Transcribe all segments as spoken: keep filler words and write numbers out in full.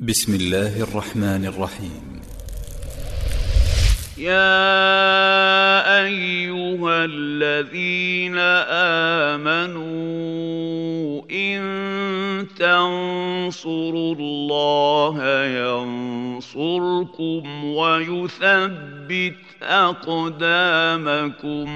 بسم الله الرحمن الرحيم. يا أيها الذين آمنوا إن تنصروا الله ينصركم ويثبت أقدامكم.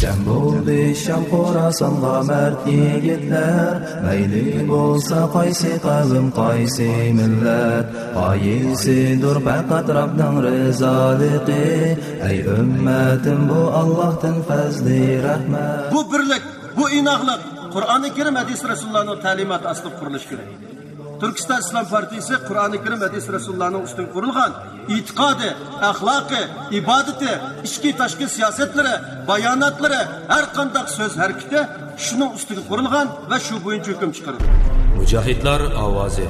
جەم بولدى شام خوراسانغا مەرد يىگىتلەر، مەيلى بولسا قايسى قەۋم، قايسى مىللەت، غايىسىدۇر پەقەت رەبنىڭ رىزالىقى. ئەي ئۈممەتىم، بۇ ئاللاھتىن پەزلى رەھمەت. بۇ بىرلىك، بۇ ئىناقلىق قۇرئانى كەرىم، ھەدىس رەسۇلۇللانىڭ تەلىماتى ئاستىدا قۇرۇلۇشى كېرەك. تۈركىستان ئىسلام پارتىيىسى قۇرئانى كەرىم، ھەدىس رەسۇلۇللانىڭ ئۈستىگە قۇرۇلغان ئېتىقادى، ئەخلاقى، ئىبادىتى، ئىچكى تاشقى سىياسەتلىرى، باياناتلىرى، ھەر قانداق سۆز ھەرىكىتى شۇنىڭ ئۈستىگە قۇرۇلغان ۋە شۇ بويىچە ھۆكۈم چىقىرىدۇ. مۇجاھىدلار ئاۋازى.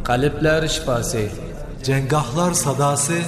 قەلبلەر شىپاسى. جەڭگاھلار ساداسى.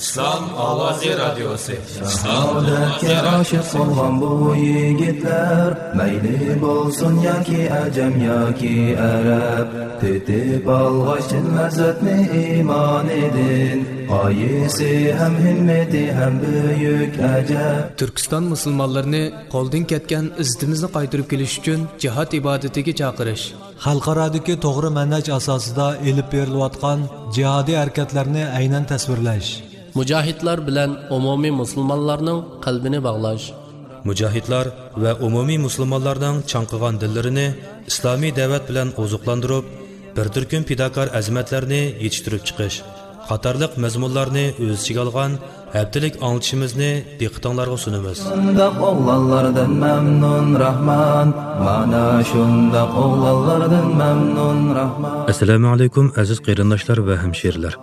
ئىسلام ئاۋازى رادىيوسى. شاھادەتكە ئاشىق بولغان بۇ يىگىتلەر، مەيلى بولسۇن ياكى ئەجەم ياكى ئەرەب، تېتىپ ئالغاچ چىن لەززەتنى ئىمانىدىن، غايىسى ھەم ھىممىتى ھەم بۈيۈك ئەجەب. تۈركىستان مۇسۇلمانلىرىنى قولدىن كەتكەن ئىززىتىمىزنى قايتۇرۇپ كېلىش ئۈچۈن جىھاد ئىبادىتىگە چاقىرىش. خەلقئارادىكى توغرا مەنھەج ئاساسىدا ئېلىپ بېرىلىۋاتقان جىھادىي ھەرىكەتلەرنى ئەينەن تەسۋىرلەش. مۇجاھىدلار بىلەن ئومۇمىي مۇسۇلمانلارنىڭ قەلبىنى باغلاش. مۇجاھىدلار ۋە ئومۇمىي مۇسۇلمانلارنىڭ چاڭقىغان دىللىرىنى ئىسلامىي دەۋەت بىلەن ئوزۇقلاندۇرۇپ، بىر تۈركۈم پىداكار ئەزىمەتلەرنى يېتىشتۈرۈپ چىقىش قاتارلىق مەزمۇنلارنى ئۆز ئىچىگە ئالغان ھەپتىلىك ئاڭلىتىشىمىزنى دىققىتىڭلارغا سۇنىمىز. شۇنداق ئوغلانلاردىن مەمنۇن راھمان، مانا شۇنداق ئوغلانلاردىن مەمنۇن راھمان. ئەسسالامۇ ئەلەيكۇم، ئەزىز قېرىنداشلار ۋە ھەمشىرىلەر.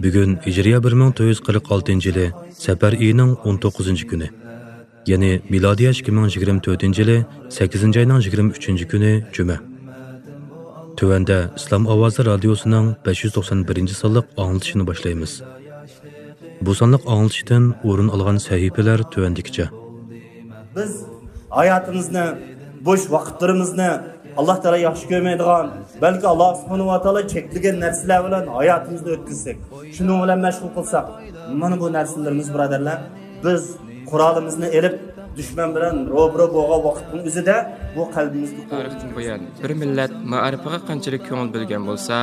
بۈگۈن ھىجرىيە بىر مىڭ تۆت يۈز قىرىق ئالتىنچى يىلى سەپەر ئېيىنىڭ ئون توققۇزىنچى كۈنى، يەنى مىلادىيە ئىككى مىڭ يىگىرمە تۆتىنچى يىلى سەككىزىنچى ئاينىڭ يىگىرمە ئۈچىنچى كۈنى جۈمە. تۆۋەندە ئىسلام ئاۋازى رادىيوسىنىڭ بەش يۈز توقسان بىرىنچى سانلىق ئاڭلىتىشىنى باشلايمىز. بۇ سانلىق ئاڭلىتىشتىن ئورۇن ئالغان سەھىپىلەر تۆۋەندىكىچە. بىز ھاياتىمىزنى، بوش ۋاقىتلىرىمىزنى ئاللا تائالا ياخشى كۆرمەيدىغان، بەلكى ئاللا سۇبھانەھۇ ۋە تائالا چەكلىگەن نەرسىلەر بىلەن ھاياتىمىزنى ئۆتكۈزسەك، شۇنىڭ بىلەن مەشغۇل قىلساق، مانا بۇ نەرسىلىرىمىز، بۇرادەرلەر، بىز قورالىمىزنى ئېلىپ، دۈشمەن بىلەن روبىرو بولغان ۋاقىتنىڭ ئۆزىدە بۇ قەلبىمىزگە تارىختىن بۇيان بىر مىللەت مائارىپىغا قانچىلىك كۆڭۈل بۆلگەن بولسا،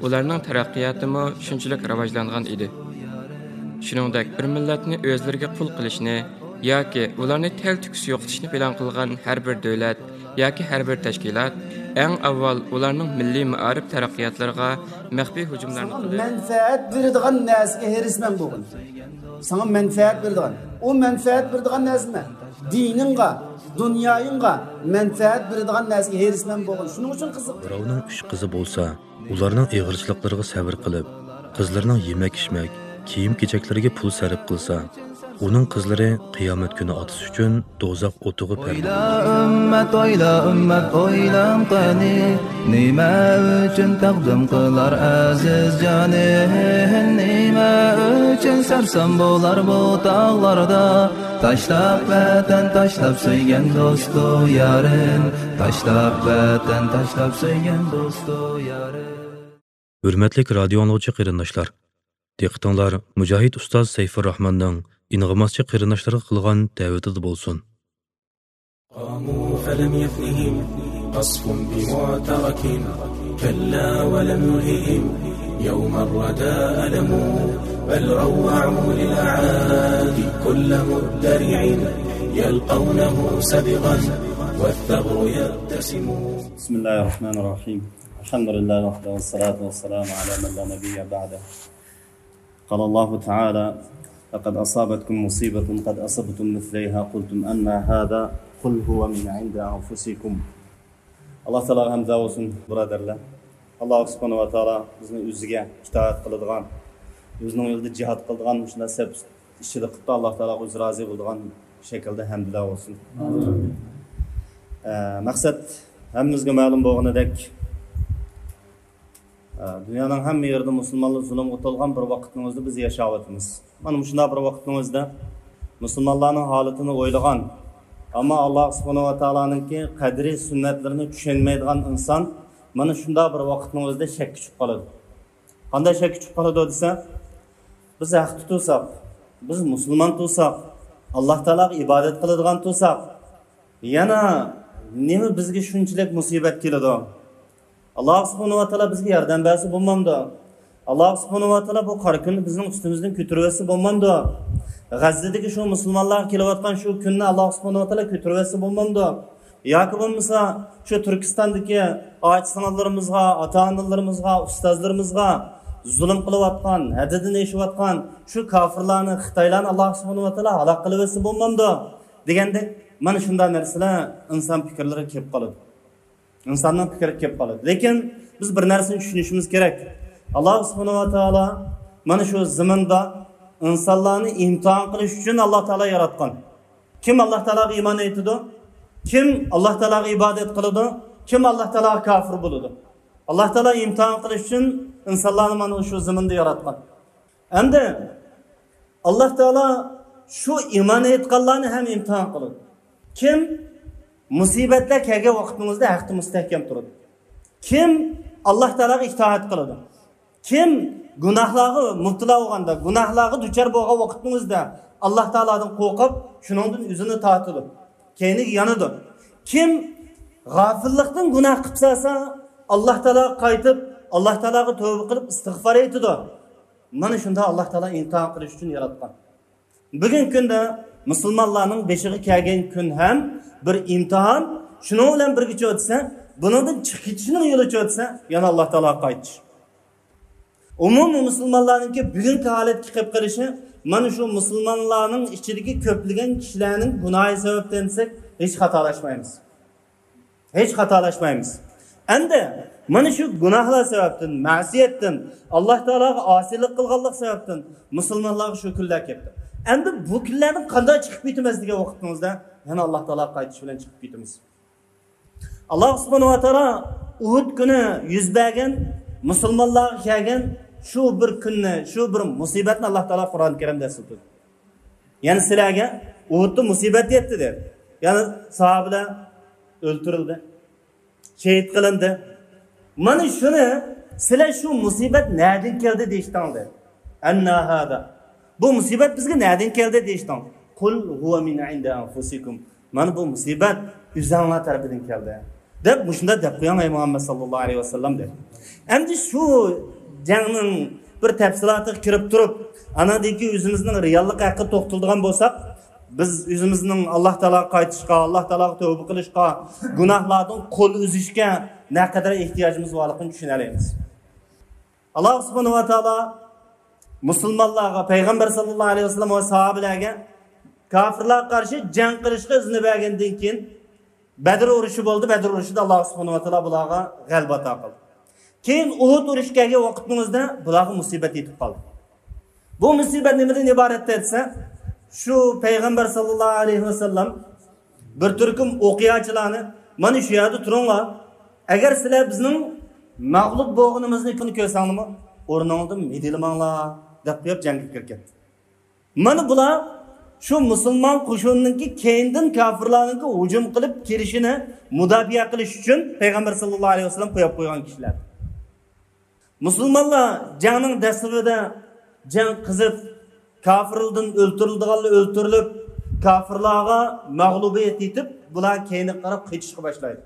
ئۇلارنىڭ تەرەققىياتىمۇ شۇنچىلىك راۋاجلانغان ئىدى. شۇنىڭدەك بىر مىللەتنى ئۆزلىرىگە قۇل قىلىشنى ياكى ئۇلارنى تەلتۆكۈس يوقىتىشنى پىلان قىلغان ھەر بىر دۆلەت ياكى ھەر بىر تەشكىلات ئەڭ ئاۋۋال ئۇلارنىڭ مىللىي مائارىپ تەرەققىياتلىرىغا مەخپىي ھۇجۇملارنى ساڭا قىلدى. مەنپەئەت بېرىدىغان نەرسىگە ھېرىسمەن بولغىن. ساڭا مەنپەئەت بېرىدىغان. ئۇ مەنپەئەت بېرىدىغان نەرسە نېمە؟ دىنىڭغا، دۇنيايىڭغا مەنپەئەت بېرىدىغان نەرسىگە ھېرىسمەن بولغىن. شۇنىڭ ئۈچۈن قىزىق. بىراۋنىڭ ئۈچ قىزى بولسا، ئۇلارنىڭ ئېغىرچىلىقلىرىغا سەۋر قىلىپ، قىزلىرىنىڭ يېمەك-ئىچمەك، كىيىم-كېچەكلىرىگە پۇل سەرپ قىلسا، ئۇنىڭ قىزلىرى قىيامەت كۈنى ئاتىسى ئۈچۈن دوزاخ ئوتىغا پەردە. ئويلا ئۈممەت، ئويلا ئۈممەت، ئويلاڭ قېنى، نېمە ئۈچۈن تەقدىم قىلار ئەزىز جانى؟ نېمە ئۈچۈن سەرسان بولار بۇ تاغلاردا؟ تاشلاپ ۋەتەن، تاشلاپ سۆيگەن دوستۇ يارىم، تاشلاپ ۋەتەن، تاشلاپ سۆيگەن دوستۇ يارىم. ھۆرمەتلىك رادىيو ئاڭلىغۇچى قېرىنداشلار، دىققىتىڭلار مۇجاھىد ئۇستاز سەيفۇرراھماننىڭ ئىنغىماسچى قېرىنداشلارغا قىلغان دەۋىتىدە بولسۇن. قاموا فلم يفنهم قصف بمعترك، كلا ولم يلههم يوم الردى ألم، بل روعوا للأعادي كل مدرع يلقونه سبغا والثغر يبتسم. بسم الله الرحمن الرحيم. الحمد لله وحده والصلاة والسلام على من لا نبي بعده. قال الله تعالى: لقد أصابتكم مصيبة قد أصبتم مثليها قلتم أنى هذا قل هو من عند أنفسكم. ئاللا تائالاغا ھەمدۇ سانا بولسۇن، بۇرادەرلەر. ئاللا سۇبھانەھۇ ۋە تائالا بىزنى ئۆزىگە ئىتائەت قىلىدىغان، ئۆزىنىڭ يولىدا جىھاد قىلىدىغان، مۇشۇنداق سەپ ئىچىدە قىلىپتۇ. ئاللا تائالاغا ئۆزى رازى بولىدىغان شەكىلدە ھەمدۇلار بولسۇن. ئە، مەقسەت ھەممىمىزگە مەلۇم بولغىنىدەك، ئە، دۇنيانىڭ ھەممە يېرىدە مۇسۇلمانلار زۇلۇمغا تولغان بىر ۋاقىتنىڭ ئۆزىدە بىز ياشاۋاتىمىز. مانا مۇشۇنداق بىر ۋاقىتنىڭ ئۆزىدە مۇسۇلمانلارنىڭ ھالىتىنى ئويلىغان، ئەمما ئاللا سۇبھانەھۇ ۋە تائالانىڭكى قەدرى سۈننەتلىرىنى چۈشەنمەيدىغان ئىنسان مانا شۇنداق بىر ۋاقىتنىڭ ئۆزىدە شەككە چۈشۈپ قالىدۇ. قانداق شەككە چۈشۈپ قالىدۇ دېسە، بىز ھەق تۇتۇلساق، بىز مۇسۇلمان تۇرساق، ئاللاھ تائالاغا ئىبادەت قىلىدىغان تۇرساق، يەنە نېمە بىزگە شۇنچىلىك مۇسىبەت كېلىدۇ؟ ئاللاھ سۇبھانەھۇ ۋە تائالا بىزگە ياردەم بەرسە بولمامدۇ؟ ئاللاھ سۇبھانەھۇ ۋە تائالا بۇ قارا كۈننى بىزنىڭ ئۈستىمىزدىن كۆتۈرۈۋەتسە بولمامدۇ؟ غەززىدىكى شۇ مۇسۇلمانلارغا كېلىۋاتقان شۇ كۈننى ئاللاھ سۇبھانەھۇ ۋە تائالا كۆتۈرۈۋەتسە بولمامدۇ؟ ياكى بولمىسا شۇ تۈركىستاندىكى ئاچا-سىڭىللىرىمىزغا، ئاتا-ئانىلىرىمىزغا، ئۇستازلىرىمىزغا زۇلۇم قىلىۋاتقان، ھەددىدىن ئېشىۋاتقان شۇ كاپىرلارنى، خىتايلارنى ئاللاھ سۇبھانەھۇ ۋە تائالا ھالاك قىلىۋەتسە بولمامدۇ؟ دېگەندەك، مانا شۇنداق نەرسىلەر ئىنسان پىكىرلىرىگە كېلىپ قالىدۇ. ئىنساننىڭ پىكرىگە كېلىپ قالىدۇ. لېكىن بىز بىر نەرسىنى چۈشىنىشىمىز كېرەك. ئاللاھ سۇبھانەھۇ ۋە تائالا مانا شۇ زېمىندا ئىنسانلارنى ئىمتىھان قىلىش ئۈچۈن ئاللاھ تائالا ياراتقان. كىم ئاللاھ تائالاغا ئىمان ئېيتىدۇ؟ كىم ئاللاھ تائالاغا ئىبادەت قىلىدۇ؟ كىم ئاللاھ تائالاغا كاپىر بولىدۇ؟ ئاللاھ تائالا ئىمتىھان قىلىش ئۈچۈن ئىنسانلارنى مانا شۇ زېمىندا ياراتقان. ئەمدى ئاللاھ تائالا شۇ ئىمان ئېيتقانلارنى ھەم ئىمتىھان قىلىدۇ. كىم مۇسىبەتلەر كەلگەن ۋاقتىڭىزدا ھەقتە مۇستەھكەم تۇرىدۇ؟ كىم ئاللاھ تائالاغا ئىتائەت قىلىدۇ؟ كىم گۇناھلارغا مۇپتىلا بولغاندا، گۇناھلارغا دۇچار بولغان ۋاقتىڭىزدا ئاللاھ تائالادىن قورقۇپ، شۇنىڭدىن ئۆزىنى تارتىدۇ، كەينىگە يانىدۇ؟ كىم غافىللىقتىن گۇناھ قىلىپ سالسا، ئاللاھ تائالاغا قايتىپ، ئاللاھ تائالاغا تەۋبە قىلىپ ئىستىغپار ئېيتىدۇ؟ مانا شۇنداق ئاللاھ تائالا ئىمتىھان قىلىش ئۈچۈن ياراتقان. بۈگۈنكى كۈندە مۇسۇلمانلارنىڭ بېشىغا كەلگەن كۈن ھەم بىر ئىمتىھان. شۇنىڭ بىلەن بىرگىچە ئۆتسە، بۇنىڭدىن چىقىپ كېتىشنىڭ يولىچە ئۆتسە، يەنە ئاللاھ تائالاغا قايتىش. ئومۇمىي مۇسۇلمانلارنىڭكى بۈگۈنكى ھالەتكە كېلىپ قېلىشى مانا شۇ مۇسۇلمانلارنىڭ ئىچىدىكى كۆپلىگەن كىشىلەرنىڭ گۇناھى سەۋەبتىن دېسەك، ھېچ خاتالاشمايمىز. ھېچ خاتالاشمايمىز. ئەمدى مانا شۇ گۇناھلار سەۋەبتىن، مەسىيەتتىن، ئاللاھ تائالاغا ئاسىيلىق قىلغانلىق سەۋەبتىن مۇسۇلمانلارغا شۇ كۈنلەر كەپتۇ. ئەمدى بۇ كۈنلەردىن قانداق چىقىپ كېتىمىز دېگەن ۋاقتىڭىزدا، يەنە ئاللاھ تائالاغا قايتىش بىلەن چىقىپ كېتىمىز. ئاللاھ سۇبھانەھۇ ۋە تائالا ئۇھۇد كۈنى يۈز بەرگەن، مۇسۇلمانلارغا كەلگەن شۇ بىر كۈننى، شۇ بىر مۇسىبەتنى ئاللاھ تائالا قۇرئان كەرىمدە ئەسلىتىدۇ. يەنى سىلەرگە ئۇھۇدتا مۇسىبەت يەتتى دېدى. يەنى ساھابىلەر ئۆلتۈرۈلدى، شېھىت قىلىندى. مانا شۇنى سىلەر شۇ مۇسىبەت نەدىن كەلدى دېيىشتىڭلار. ئەننا ھازا. بۇ مۇسىبەت بىزگە نەدىن كەلدى دېيىشتىڭ. قۇل ھۇۋە مىن ئىندى ئەنفۇسىكۇم. مانا بۇ مۇسىبەت ئۆزۈڭلار تەرىپىدىن كەلدى، دەپ مۇشۇنداق دەپ قويۇڭ، ئەي مۇھەممەد ساللاللاھۇ ئەلەيھى ۋەسەللەم، دەپ. ئەمدى شۇ جەڭنىڭ بىر تەپسىلاتىغا كىرىپ تۇرۇپ، ئاناندىن كېيىن ئۆزىمىزنىڭ رېئاللىقى ھەققىدە توختىلىدىغان بولساق، بىز ئۆزىمىزنىڭ ئاللاھ تائالاغا قايتىشقا، ئاللاھ تائالاغا تەۋبە قىلىشقا، گۇناھلاردىن قول ئۈزۈشكە نەقەدەر ئېھتىياجىمىز بارلىقىنى چۈشىنەلەيمىز. ئاللاھ سۇبھانەھۇ ۋە تائالا مۇسۇلمانلارغا، پەيغەمبەر ساللاللاھۇ ئەلەيھى ۋەسەللەم ۋە ساھابىلەرگە كاپىرلارغا قارشى جەڭ قىلىشقا ئىزنى بەرگەندىن كېيىن، بەدر ئۇرۇشى بولدى. بەدر ئۇرۇشىدا ئاللاھ سۇبھانەھۇ ۋە تائالا بۇلارغا غەلىبە ئاتا قىلدى. كېيىن ئۇھۇد ئۇرۇشى كەلگەن ۋاقىتنىڭ ئۆزىدە بۇلارغا مۇسىبەت يېتىپ قالدى. بۇ مۇسىبەت نېمىدىن ئىبارەت دېسە، شۇ پەيغەمبەر ساللاللاھۇ ئەلەيھى ۋەسەللەم بىر تۈركۈم ئوقياچىلارنى، مانا شۇ يەردە تۇرۇڭلار، ئەگەر سىلەر بىزنىڭ مەغلۇپ بولغىنىمىزنى كۆرسەڭلارمۇ، ئورنۇڭلاردىن مىدىرلىماڭلار، دەپ قويۇپ جەڭگە كىرىپ كەتتى. مانا بۇلار شۇ مۇسۇلمان قوشۇنىنىڭكى كەينىدىن كاپىرلارنىڭكى ھۇجۇم قىلىپ كىرىشىنى مۇداپىئە قىلىش ئۈچۈن پەيغەمبەر ساللاللاھۇ ئەلەيھى ۋەسەللەم قويۇپ قويغان كىشىلەر. مۇسۇلمانلار جەڭنىڭ دەسلىپىدە جەڭ قىزىپ، كاپىرلاردىن ئۆلتۈرۈلىدىغانلار ئۆلتۈرۈلۈپ، كاپىرلارغا مەغلۇبىيەت يېتىپ، بۇلار كەينىگە قاراپ قېچىشقا باشلايدۇ.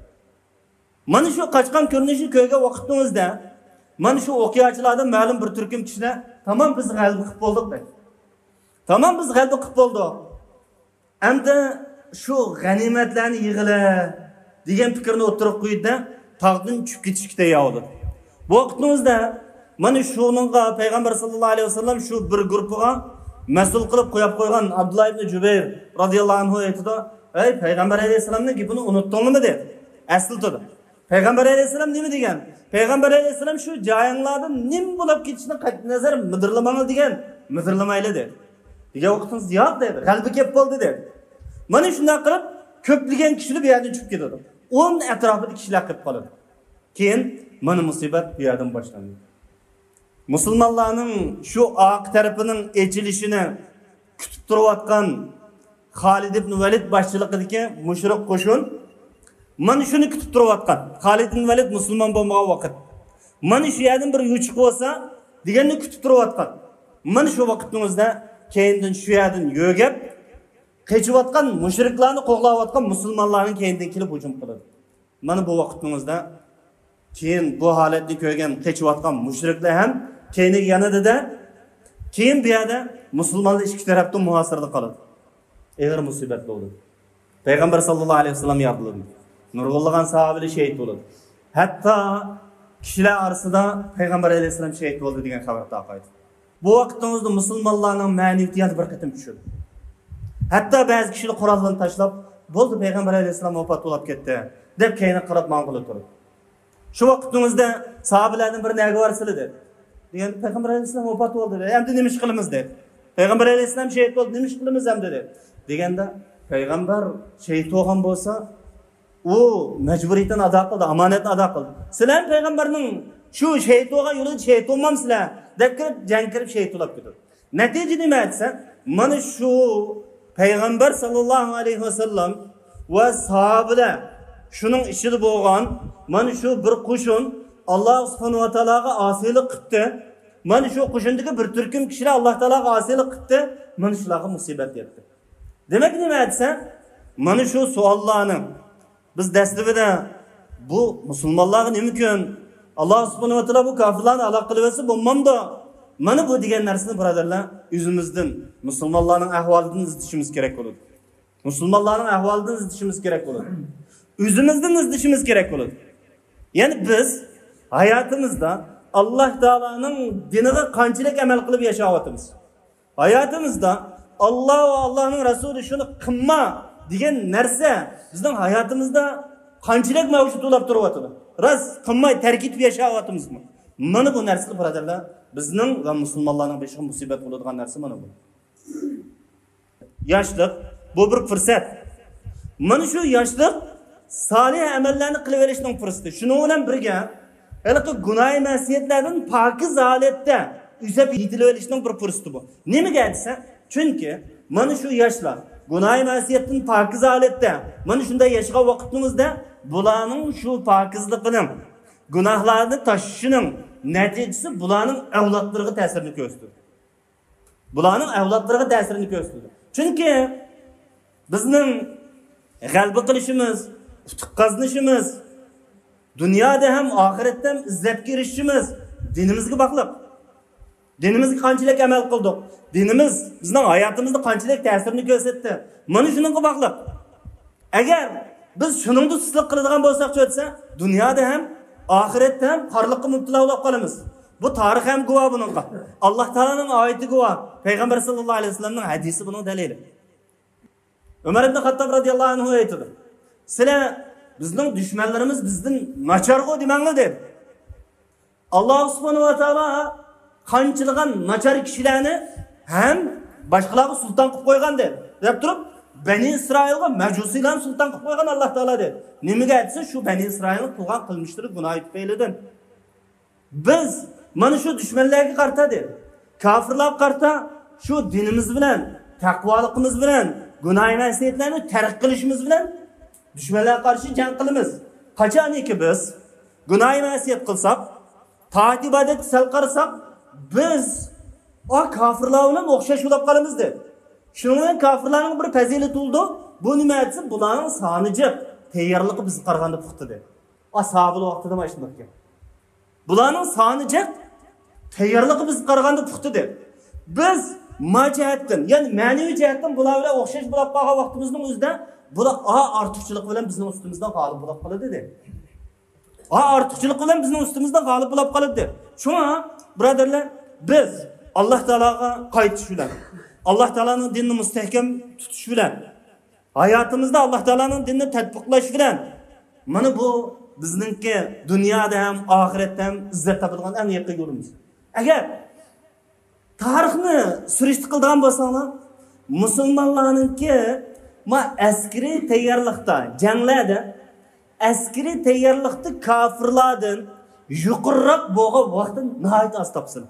مانا شۇ قاچقان كۆرۈنۈشنى كۆرگەن ۋاقتىڭىزدا، مانا شۇ ئوقياچىلاردىن مەلۇم بىر تۈركۈم كىشىلەر، تامام، بىز غەلىبە قىلىپ بولدۇق، دەيدۇ. تامام، بىز غەلىبە قىلىپ بولدۇق. ئەمدى شۇ غەنىيمەتلەرنى يىغىلە دېگەن پىكىرنى ئوتتۇرىغا قويدى-دە، تاغدىن چۈشۈپ كېتىشكە تەييار بولدى. بۇ ۋاقىتنىڭ ئۆزىدە مانا شۇنىڭغا پەيغەمبەر ساللاللاھۇ ئەلەيھى ۋەسەللەم شۇ بىر گۇرۇپپىغا مەسئۇل قىلىپ قويۇپ قويغان ئابدۇللا ئىبنى جۇبەير رازىياللاھۇ ئەنھۇ ئېيتىدۇ، ئەي پەيغەمبەر ئەلەيھىسسالامنىڭ گېپىنى ئۇنتتۇڭلىمۇ؟ دەيدۇ. ئەسلىتىدۇ. پەيغەمبەر ئەلەيھىسسالام نېمە دېگەن؟ پەيغەمبەر ئەلەيھىسسالام شۇ جايىڭلاردا نېمە بولۇپ كېتىشىدىن قەتئىينەزەر مىدىرلىماڭلار دېگەن. مىدىرلىمايلى دېدى. دېگەن ۋاقتىڭىز ياق دېدى. غەلىبە كەپ بولدى دېدى. مانا شۇنداق قىلىپ كۆپلىگەن كىشىلەر بۇ يەردىن چۈشۈپ كېتىدۇ. ئون ئەتراپىدا كىشىلەر قېلىپ قالىدۇ. كېيىن مانا مۇسىبەت بۇ يەردىن باشلاندى. مۇسۇلمانلارنىڭ شۇ ئارقا تەرىپىنىڭ ئېچىلىشىنى كۈتۈپ تۇرۇۋاتقان خالىد ئىبن ۋەلىد باشچىلىقىدىكى مۇشرىك قوشۇن مانا شۇنى كۈتۈپ تۇرۇۋاتقان. خالىد ئىبن ۋەلىد مۇسۇلمان بولمىغان ۋاقىت. مانا شۇ يەردىن بىر يوچۇق بولسا دېگەننى كۈتۈپ تۇرۇۋاتقان. مانا شۇ ۋاقىتنىڭ ئۆزىدە كەينىدىن شۇ يەردىن يۆگەپ، قېچىۋاتقان مۇشرىكلارنى قوغلاۋاتقان مۇسۇلمانلارنىڭ كەينىدىن كېلىپ ھۇجۇم قىلىدۇ. مانا بۇ ۋاقىتنىڭ ئۆزىدە كېيىن بۇ ھالەتنى كۆرگەن قېچىۋاتقان مۇشرىكلار ھەم كەينىگە يانىدىدە، كېيىن بۇ يەردە مۇسۇلمانلار ئىككى تەرەپتىن مۇھاسىرىدە قالىدۇ. ئېغىر مۇسىبەت بولدى. پەيغەمبەر ساللاللاھۇ ئەلەيھى ۋەسەللەم يارىلىدى. نۇرغۇنلىغان ساھابىلەر شېھىت بولىدۇ. ھەتتا كىشىلەر ئارىسىدا پەيغەمبەر ئەلەيھىسسالام شېھىت بولدى دېگەن خەۋەر تارقايدۇ. بۇ ۋاقىتنىڭ ئۆزىدە مۇسۇلمانلارنىڭ مەنىۋىيىتى يەنە بىر قېتىم چۈشىدۇ. ھەتتا بەزى كىشىلەر قوراللىرىنى تاشلاپ، بولدى، پەيغەمبەر ئەلەيھىسسالام ۋاپات بولاپ كەتتى، دەپ كەينىگە قاراپ ماڭغىلى تۇرىدۇ. شۇ ۋاقىتنىڭ ئۆزىدە ساھابىلەردىن بىرى نەگە بارسىلى دېدى. دېگەندە پەيغەمبەر ئەلەيھىسسالام ۋاپات بولدى دېدى. ئەمدى نېمە ئىش قىلىمىز دېدى. پەيغەمبەر ئەلەيھىسسالام شېھىت بولدى، نېمە ئىش قىلىمىز ئەمدى دېدى. دېگەندە پەيغەمبەر شېھىت بولغان بولسا، ئۇ مەجبۇرىيىتىنى ئادا قىلدى، ئامانەتنى ئادا قىلدى. سىلەر پەيغەمبەرنىڭ شۇ شېھىت بولغان يولىدا شېھىت بولمامسىلەر دەپ كىرىپ، جەڭگە كىرىپ شېھىت بولاپ كېتىدۇ. نەتىجە نېمە دېسە، مانا شۇ پەيغەمبەر ساللاللاھۇ ئەلەيھى ۋەسەللەم ۋە ساھابىلەر شۇنىڭ ئىچىدە بولغان مانا شۇ بىر قوشۇن ئاللاھ سۇبھانەھۇ ۋە تائالاغا ئاسىيلىق قىپتۇ. مانا شۇ قوشۇندىكى بىر تۈركۈم كىشىلەر ئاللاھ تائالاغا ئاسىيلىق قىپتۇ. مانا شۇلارغا مۇسىبەت يەتتى. دېمەك نېمە دېسە، مانا شۇ سوئاللارنىڭ بىز دەسلىپىدە بۇ مۇسۇلمانلارغا نېمە كۈن؟ ئاللاھ سۇبھانەھۇ ۋە تائالا بۇ كاپىرلارنى ھالاك قىلىۋەتسە بولمامدۇ؟ مانا بۇ دېگەن نەرسىنى، بۇرادەرلەر، ئۆزىمىزدىن، مۇسۇلمانلارنىڭ ئەھۋالىدىن ئىزدىشىمىز كېرەك بولىدۇ. مۇسۇلمانلارنىڭ ئەھۋالىدىن ئىزدىشىمىز كېرەك بولىدۇ. ئۆزىمىزدىن ئىزدىشىمىز كېرەك بولىدۇ. يەنى بىز ھاياتىمىزدا ئاللاھ تائالانىڭ دىنىغا قانچىلىك ئەمەل قىلىپ ياشاۋاتىمىز؟ ھاياتىمىزدا ئاللاھ ۋە ئاللاھنىڭ رەسۇلى شۇنى قىلما دېگەن نەرسە بىزنىڭ ھاياتىمىزدا قانچىلىك مەۋجۇت بولاپ تۇرۇۋاتىدۇ؟ راست قىلماي تەرك ئېتىپ ياشاۋاتىمىزمۇ؟ مانا بۇ نەرسىلەر، بۇرادەرلەر، بىزنىڭ ۋە مۇسۇلمانلارنىڭ بېشىغا مۇسىبەت بولىدىغان نەرسە مانا بۇ. ياشلىق، بۇ بىر پۇرسەت. مانا شۇ ياشلىق سالىھ ئەمەللەرنى قىلىۋېلىشنىڭ پۇرسىتى. شۇنىڭ بىلەن بىرگە، ھېلىقى گۇناھى مەسىيەتلەردىن پاكىز ھالەتتە ئۈزۈپ يېتىلىۋېلىشنىڭ بىر پۇرسىتى بۇ. نېمىگە دېسە، چۈنكى مانا شۇ ياشلار گۇناھى مەسىيەتتىن پاكىز ھالەتتە مانا شۇنداق ياشىغان ۋاقىتنىڭ ئۆزىدە بۇلارنىڭ شۇ پاكىزلىقىنىڭ، گۇناھلارنى تاشلىشىنىڭ نەتىجىسى بۇلارنىڭ ئەۋلادلىرىغا تەسىرىنى كۆرسىتىدۇ. بۇلارنىڭ ئەۋلادلىرىغا تەسىرىنى كۆرسىتىدۇ. چۈنكى بىزنىڭ غەلىبە قىلىشىمىز، ئۇتۇق قازىنىشىمىز، دۇنيادا ھەم ئاخىرەتتە ھەم ئىززەتكە ئېرىشىشىمىز دىنىمىزگە باغلىق. دىنىمىزغا قانچىلىك ئەمەل قىلدۇق؟ دىنىمىز بىزنىڭ ھاياتىمىزدا قانچىلىك تەسىرىنى كۆرسەتتى؟ مانا شۇنىڭغا باغلىق. ئەگەر بىز شۇنىڭدا سۇسلۇق قىلىدىغان بولساق، چۆتسە، دۇنيادا ھەم ئاخىرەتتە ھەم خارلىققا مۇپتىلا بولۇپ قالىمىز. بۇ تارىخ ھەم گۇۋاھ بۇنىڭغا. ئاللاھ تائالانىڭ ئايىتى گۇۋاھ، پەيغەمبەر ساللاللاھۇ ئەلەيھى ۋەسەللەمنىڭ ھەدىسى بۇنىڭ دەلىلى. ئۆمەر ئىبن خاتتاب رەزىياللاھۇ ئەنھۇ ئېيتىدۇ، سىلەر بىزنىڭ دۈشمەنلىرىمىز بىزدىن ناچارغۇ دېمەڭلار دېدى. ئاللاھ سۇبھانەھۇ ۋە تائالا قانچىلىغان ناچار كىشىلەرنى ھەم باشقىلارغا سۇلتان قىلىپ قويغان دېدى. دەپ تۇرۇپ، بەنى ئىسرائىلغا مەجۇسىيلارنى سۇلتان قىلىپ قويغان ئاللاھ تائالا دېدى. نېمىگە دېسە، شۇ بەنى ئىسرائىلنىڭ قىلغان قىلمىشلىرى، گۇناھى تۈپەيلىدىن. بىز مانا شۇ دۈشمەنلەرگە قارىتا دېدى. كاپىرلارغا قارىتا شۇ دىنىمىز بىلەن، تەقۋالىقىمىز بىلەن، گۇناھى مەسىيەتلەرنى تەرك قىلىشىمىز بىلەن دۈشمەنلەرگە قارشى جەڭ قىلىمىز. قاچانكى بىز گۇناھى مەسىيەت قىلساق، تائەت ئىبادەتكە سەل قارىساق، بىز ئا كاپىرلار بىلەن ئوخشاش بولاپ قالىمىز دېدى. شۇنىڭ بىلەن كاپىرلارنىڭ بىر پەزىلىتى بولىدۇ. بۇ نېمە دېسە، بۇلارنىڭ سانى جىق، تەييارلىقى بىزگە قارىغاندا پۇختا دېدى. ئا ساھابىلەر ۋاقتىدا مانا شۇنداق ئىكەن. بۇلارنىڭ سانى جىق، تەييارلىقى بىزگە قارىغاندا پۇختا دېدى. بىز ما جەھەتتىن، يەنى مەنىۋى جەھەتتىن بۇلار بىلەن ئوخشاش بولاپ قالغان ۋاقتىمىزنىڭ ئۆزىدە بۇلار ئا ئارتۇقچىلىق بىلەن بىزنىڭ ئۈستىمىزدە غالىب بولاپ قالىدۇ دېدى. ئا ئارتۇقچىلىق بىلەن بىزنىڭ ئۈستىمىزدە غالىب بولاپ قالىدۇ. شۇڭا، بۇرادەرلەر، بىز ئاللاھ تائالاغا قايتىش بىلەن، ئاللاھ تائالانىڭ دىنىنى مۇستەھكەم تۇتۇش بىلەن، ھاياتىمىزدا ئاللاھ تائالانىڭ دىنىنى تەتبىقلاش بىلەن، مانا بۇ بىزنىڭكى دۇنيادا ھەم ئاخىرەتتە ھەم ئىززەت تاپىدىغان ئەڭ يېقىن يولىمىز. ئەگەر تارىخنى سۈرۈشتە قىلىدىغان بولساڭلار، مۇسۇلمانلارنىڭكى ما ئەسكىرىي تەييارلىقتا، جەڭلەردە، ئەسكىرىي تەييارلىقتا كاپىرلاردىن يۇقىرىراق بولغان ۋاقتى ناھايىتى ئاز تاپسىلەر.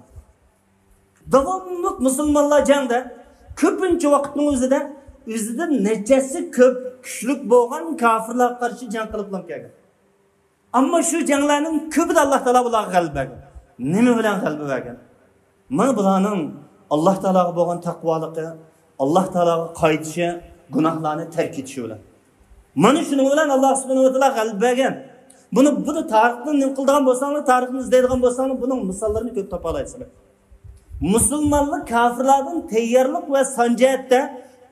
داۋاملىق مۇسۇلمانلار جەڭدە، كۆپىنچە ۋاقىتنىڭ ئۆزىدە ئۆزىدىن نەچچە ھەسسە كۆپ، كۈچلۈك بولغان كاپىرلارغا قارشى جەڭ قىلىپلا كەلگەن. ئەمما شۇ جەڭلەرنىڭ كۆپىدە ئاللا تائالا بۇلارغا غەلىبە بەرگەن. نېمە بىلەن غەلىبە بەرگەن؟ مانا بۇلارنىڭ ئاللا تائالاغا بولغان تەقۋالىقى، ئاللا تائالاغا قايتىشى، گۇناھلارنى تەرك ئېتىشى بىلەن. مانا شۇنىڭ بىلەن ئاللا سۇبھانەھۇ ۋە تائالا غەلىبە بەرگەن. بۇنى، بۇنى تارىخنى نېمە قىلىدىغان بولساڭلار، تارىخنى ئىزدەيدىغان بولساڭلار، بۇنىڭ مىساللىرىنى كۆپ تاپالايسىلەر. مۇسۇلمانلار كاپىرلاردىن تەييارلىق ۋە سان جەھەتتە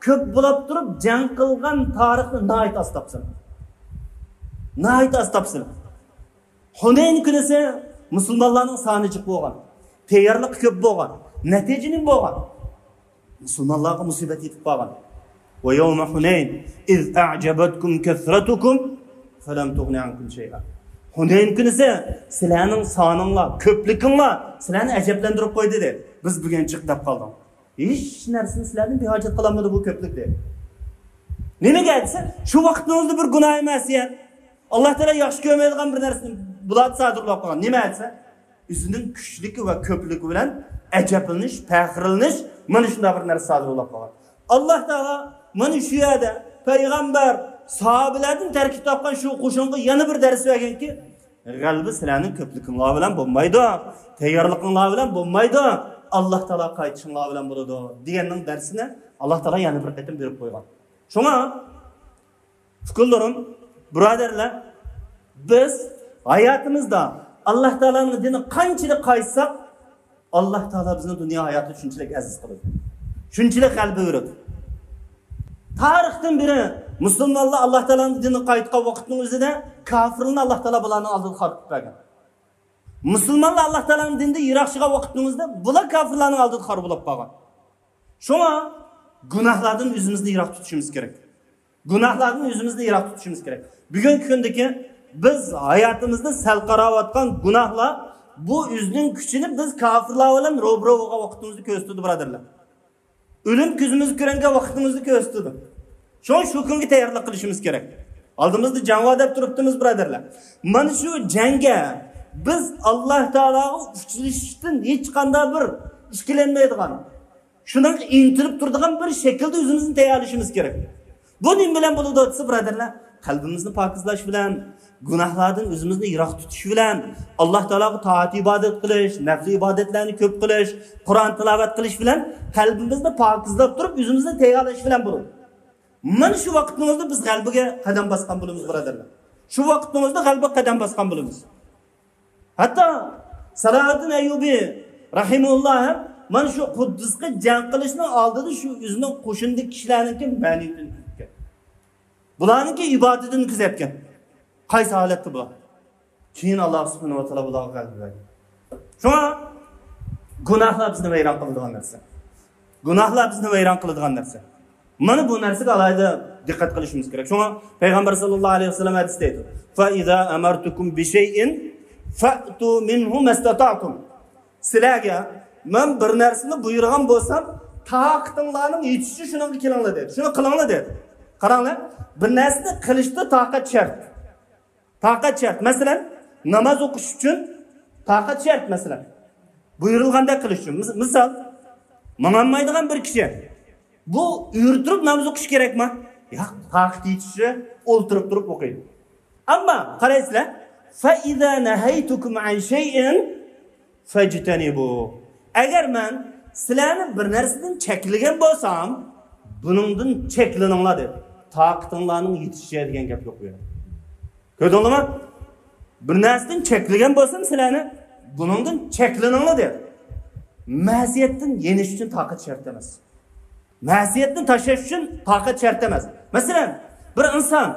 كۆپ بولاپ تۇرۇپ جەڭ قىلغان تارىخنى ناھايىتى ئاز تاپسىلەر. ناھايىتى ئاز تاپسىلەر. ھۇنەين كۈنىسى مۇسۇلمانلارنىڭ سانى جىق بولغان، تەييارلىقى كۆپ بولغان، نەتىجە نېمە بولغان؟ مۇسۇلمانلارغا مۇسىبەت يېتىپ قالغان. ويوم حنين إذ أعجبتكم كثرتكم فلم تغن عنكم شيئا. ھۇنەين كۈنىسى سىلەرنىڭ سانىڭلار، كۆپلۈكۈڭلار سىلەرنى ئەجەبلەندۈرۈپ قويدى، دېدى. بىز بۈگۈن جىق دەپ قالدۇق. ھېچ نەرسىنى سىلەردىن بىھاجەت قىلالمىدى بۇ كۆپلۈك، دېدى. نېمىگە دېسە، شۇ ۋاقىتنىڭ ئۆزىدە بىر گۇناھى مەسىيەت، ئاللا تائالا ياخشى كۆرمەيدىغان بىر نەرسىنى بۇلاردا سادىر بولۇپ قالغان. نېمە دېسە، ئۆزىنىڭ كۈچلۈكى ۋە كۆپلۈكى بىلەن ئەجەبلىنىش، پەخىرلىنىش، مانا شۇنداق بىر نەرسە سادىر بولۇپ قالغان. ئاللا تائالا مانا شۇ يەردە پەيغەمبەر، ساھابىلەردىن تەركىب تاپقان شۇ قوشۇنغا يەنە بىر دەرس بەرگەنكى، غەلىبە سىلەرنىڭ كۆپلۈكۈڭلار بىلەن بولمايدۇ، تەييارلىقىڭلار بىلەن بولمايدۇ، ئاللا تائالا قايتىشىڭلار بىلەن بولىدۇ، دېگەننىڭ دەرسىنى ئاللا تائالا يەنە بىر قېتىم بېرىپ قويغان. شۇڭا ئۇكىلىرىم، بۇرادەرلەر، بىز ھاياتىمىزدا ئاللا تائالانىڭ دىنىغا قانچىلىك قايتساق، ئاللا تائالا بىزنى دۇنيا ھاياتىدا شۇنچىلىك ئەزىز قىلىدۇ، شۇنچىلىك غەلىبە بېرىدۇ. تارىختىن بېرى مۇسۇلمانلار ئاللا تائالانىڭ دىنىغا قايتقان ۋاقىتنىڭ ئۆزىدە كاپىرلارنى ئاللا تائالا بۇلارنىڭ ئالدىدا خار قىلىپ بەرگەن. مۇسۇلمانلار ئاللا تائالانىڭ دىنىدىن يىراقلىشىدىغان ۋاقىتنىڭ ئۆزىدە بۇلار كاپىرلارنىڭ ئالدىدا خار بولۇپ قالغان. شۇڭا گۇناھلاردىن ئۆزىمىزنى يىراق تۇتۇشىمىز كېرەك. گۇناھلاردىن ئۆزىمىزنى يىراق تۇتۇشىمىز كېرەك. بۈگۈنكى كۈندىكى بىز ھاياتىمىزدا سەل قاراۋاتقان گۇناھلار، بۇ ئۆزىنىڭ كۈچىنى بىز كاپىرلار بىلەن روبىرو بولغان ۋاقتىمىزدا كۆرسىتىدۇ، بۇرادەرلەر. ئۆلۈم كۆزىمىزگە كۆرۈنگەن ۋاقتىمىزدا كۆرسىتىدۇ. شۇڭا شۇ كۈنگە تەييارلىق قىلىشىمىز كېرەك. ئالدىمىزدا جەڭ بار دەپ تۇرۇپتىمىز، بۇرادەرلەر. مانا شۇ جەڭگە بىز ئاللا تائالاغا ئۇچرىشىشتىن ھېچقانداق بىر ئىككىلەنمەيدىغان، شۇنىڭغا ئىنتىلىپ تۇرىدىغان بىر شەكىلدە ئۆزىمىزنى تەييارلىشىمىز كېرەك. بۇ نېمە بىلەن بولىدۇ دېسە، بۇرادەرلەر، قەلبىمىزنى پاكىزلاش بىلەن، گۇناھلاردىن ئۆزىمىزنى يىراق تۇتۇش بىلەن، ئاللا تائالاغا تائەت ئىبادەت قىلىش، نەپلى ئىبادەتلەرنى كۆپ قىلىش، قۇرئان تىلاۋەت قىلىش بىلەن قەلبىمىزنى پاكىزلاپ تۇرۇپ، ئۆزىمىزنى تەييارلاش بىلەن بولىدۇ. مانا شۇ ۋاقىتنىڭ ئۆزىدە بىز غەلىبىگە قەدەم باسقان بولىمىز، بۇرادەرلەر. شۇ ۋاقىتنىڭ ئۆزىدە غەلىبىگە قەدەم باسقان بولىمىز. ھەتتا سالاھىددىن ئەييۇبى رەھىمەھۇللا ھەم مانا شۇ قۇددۇسقا جەڭ قىلىشنىڭ ئالدىدا شۇ ئۆزىنىڭ قوشۇنىدىكى كىشىلەرنىڭكى مەنىيىتىنى كۆزەتكەن. بۇلارنىڭكى ئىبادىتىنى كۆزەتكەن. قايسى ھالەتتە بۇلار؟ كېيىن ئاللا سۇبھانەھۇ ۋە تائالا بۇلارغا غەلىبە بەردى. شۇڭا گۇناھلار بىزنى ۋەيران قىلىدىغان نەرسە. گۇناھلار بىزنى ۋەيران قىلىدىغان نەرسە. مانا بۇ نەرسىگە ئالاھىدە دىققەت قىلىشىمىز كېرەك. شۇڭا پەيغەمبەر ساللاللاھۇ ئەلەيھى ۋەسەللەم ھەدىستە ئېيتىدۇ، فَإِذَا أَمَرْتُكُمْ بِشَيْءٍ فَأْتُوا مِنْهُ مَا اسْتَطَعْتُمْ. سىلەرگە مەن بىر نەرسىنى بۇيرۇغان بولسام، تاقىتىڭلارنىڭ يېتىشىچە شۇنىڭغا كېلىڭلار دېدى. شۇنى قىلىڭلار دېدى. قاراڭلار، بىر نەرسىنى قىلىشتا تاقەت شەرت. تاقەت شەرت. مەسىلەن، ناماز ئوقۇش ئۈچۈن تاقەت شەرت، مەسىلەن. بۇيرۇلغاندەك قىلىش ئۈچۈن. مىس-، مىسال، ماڭالمايدىغان بىر كىشى. بۇ ئۆرە تۇرۇپ ناماز ئوقۇش كېرەكما؟ ياق، تاقىتى يېتىشىچە ئولتۇرۇپ تۇرۇپ ئوقۇيدۇ. ئەمما قارايسىلەر، فَإِذَا نَهَيْتُكُمْ عَنْ شَيْءٍ فَاجْتَنِبُوهُ. ئەگەر مەن سىلەرنى بىر نەرسىدىن چەكلىگەن بولسام، بۇنىڭدىن چەكلىنىڭلار دېدى. تاقىتىڭلارنىڭ يېتىشىچە دېگەن گەپ يوق بۇ يەردە. كۆردۈڭلارمۇ؟ بىر نەرسىدىن چەكلىگەن بولسام سىلەرنى، بۇنىڭدىن چەكلىنىڭلار دېدى. مەسىيەتتىن يېنىش ئۈچۈن تاقەت شەرت ئەمەس. مەسىيەتنى تاشلاش ئۈچۈن تاقەت شەرت ئەمەس. مەسىلەن، بىر ئىنسان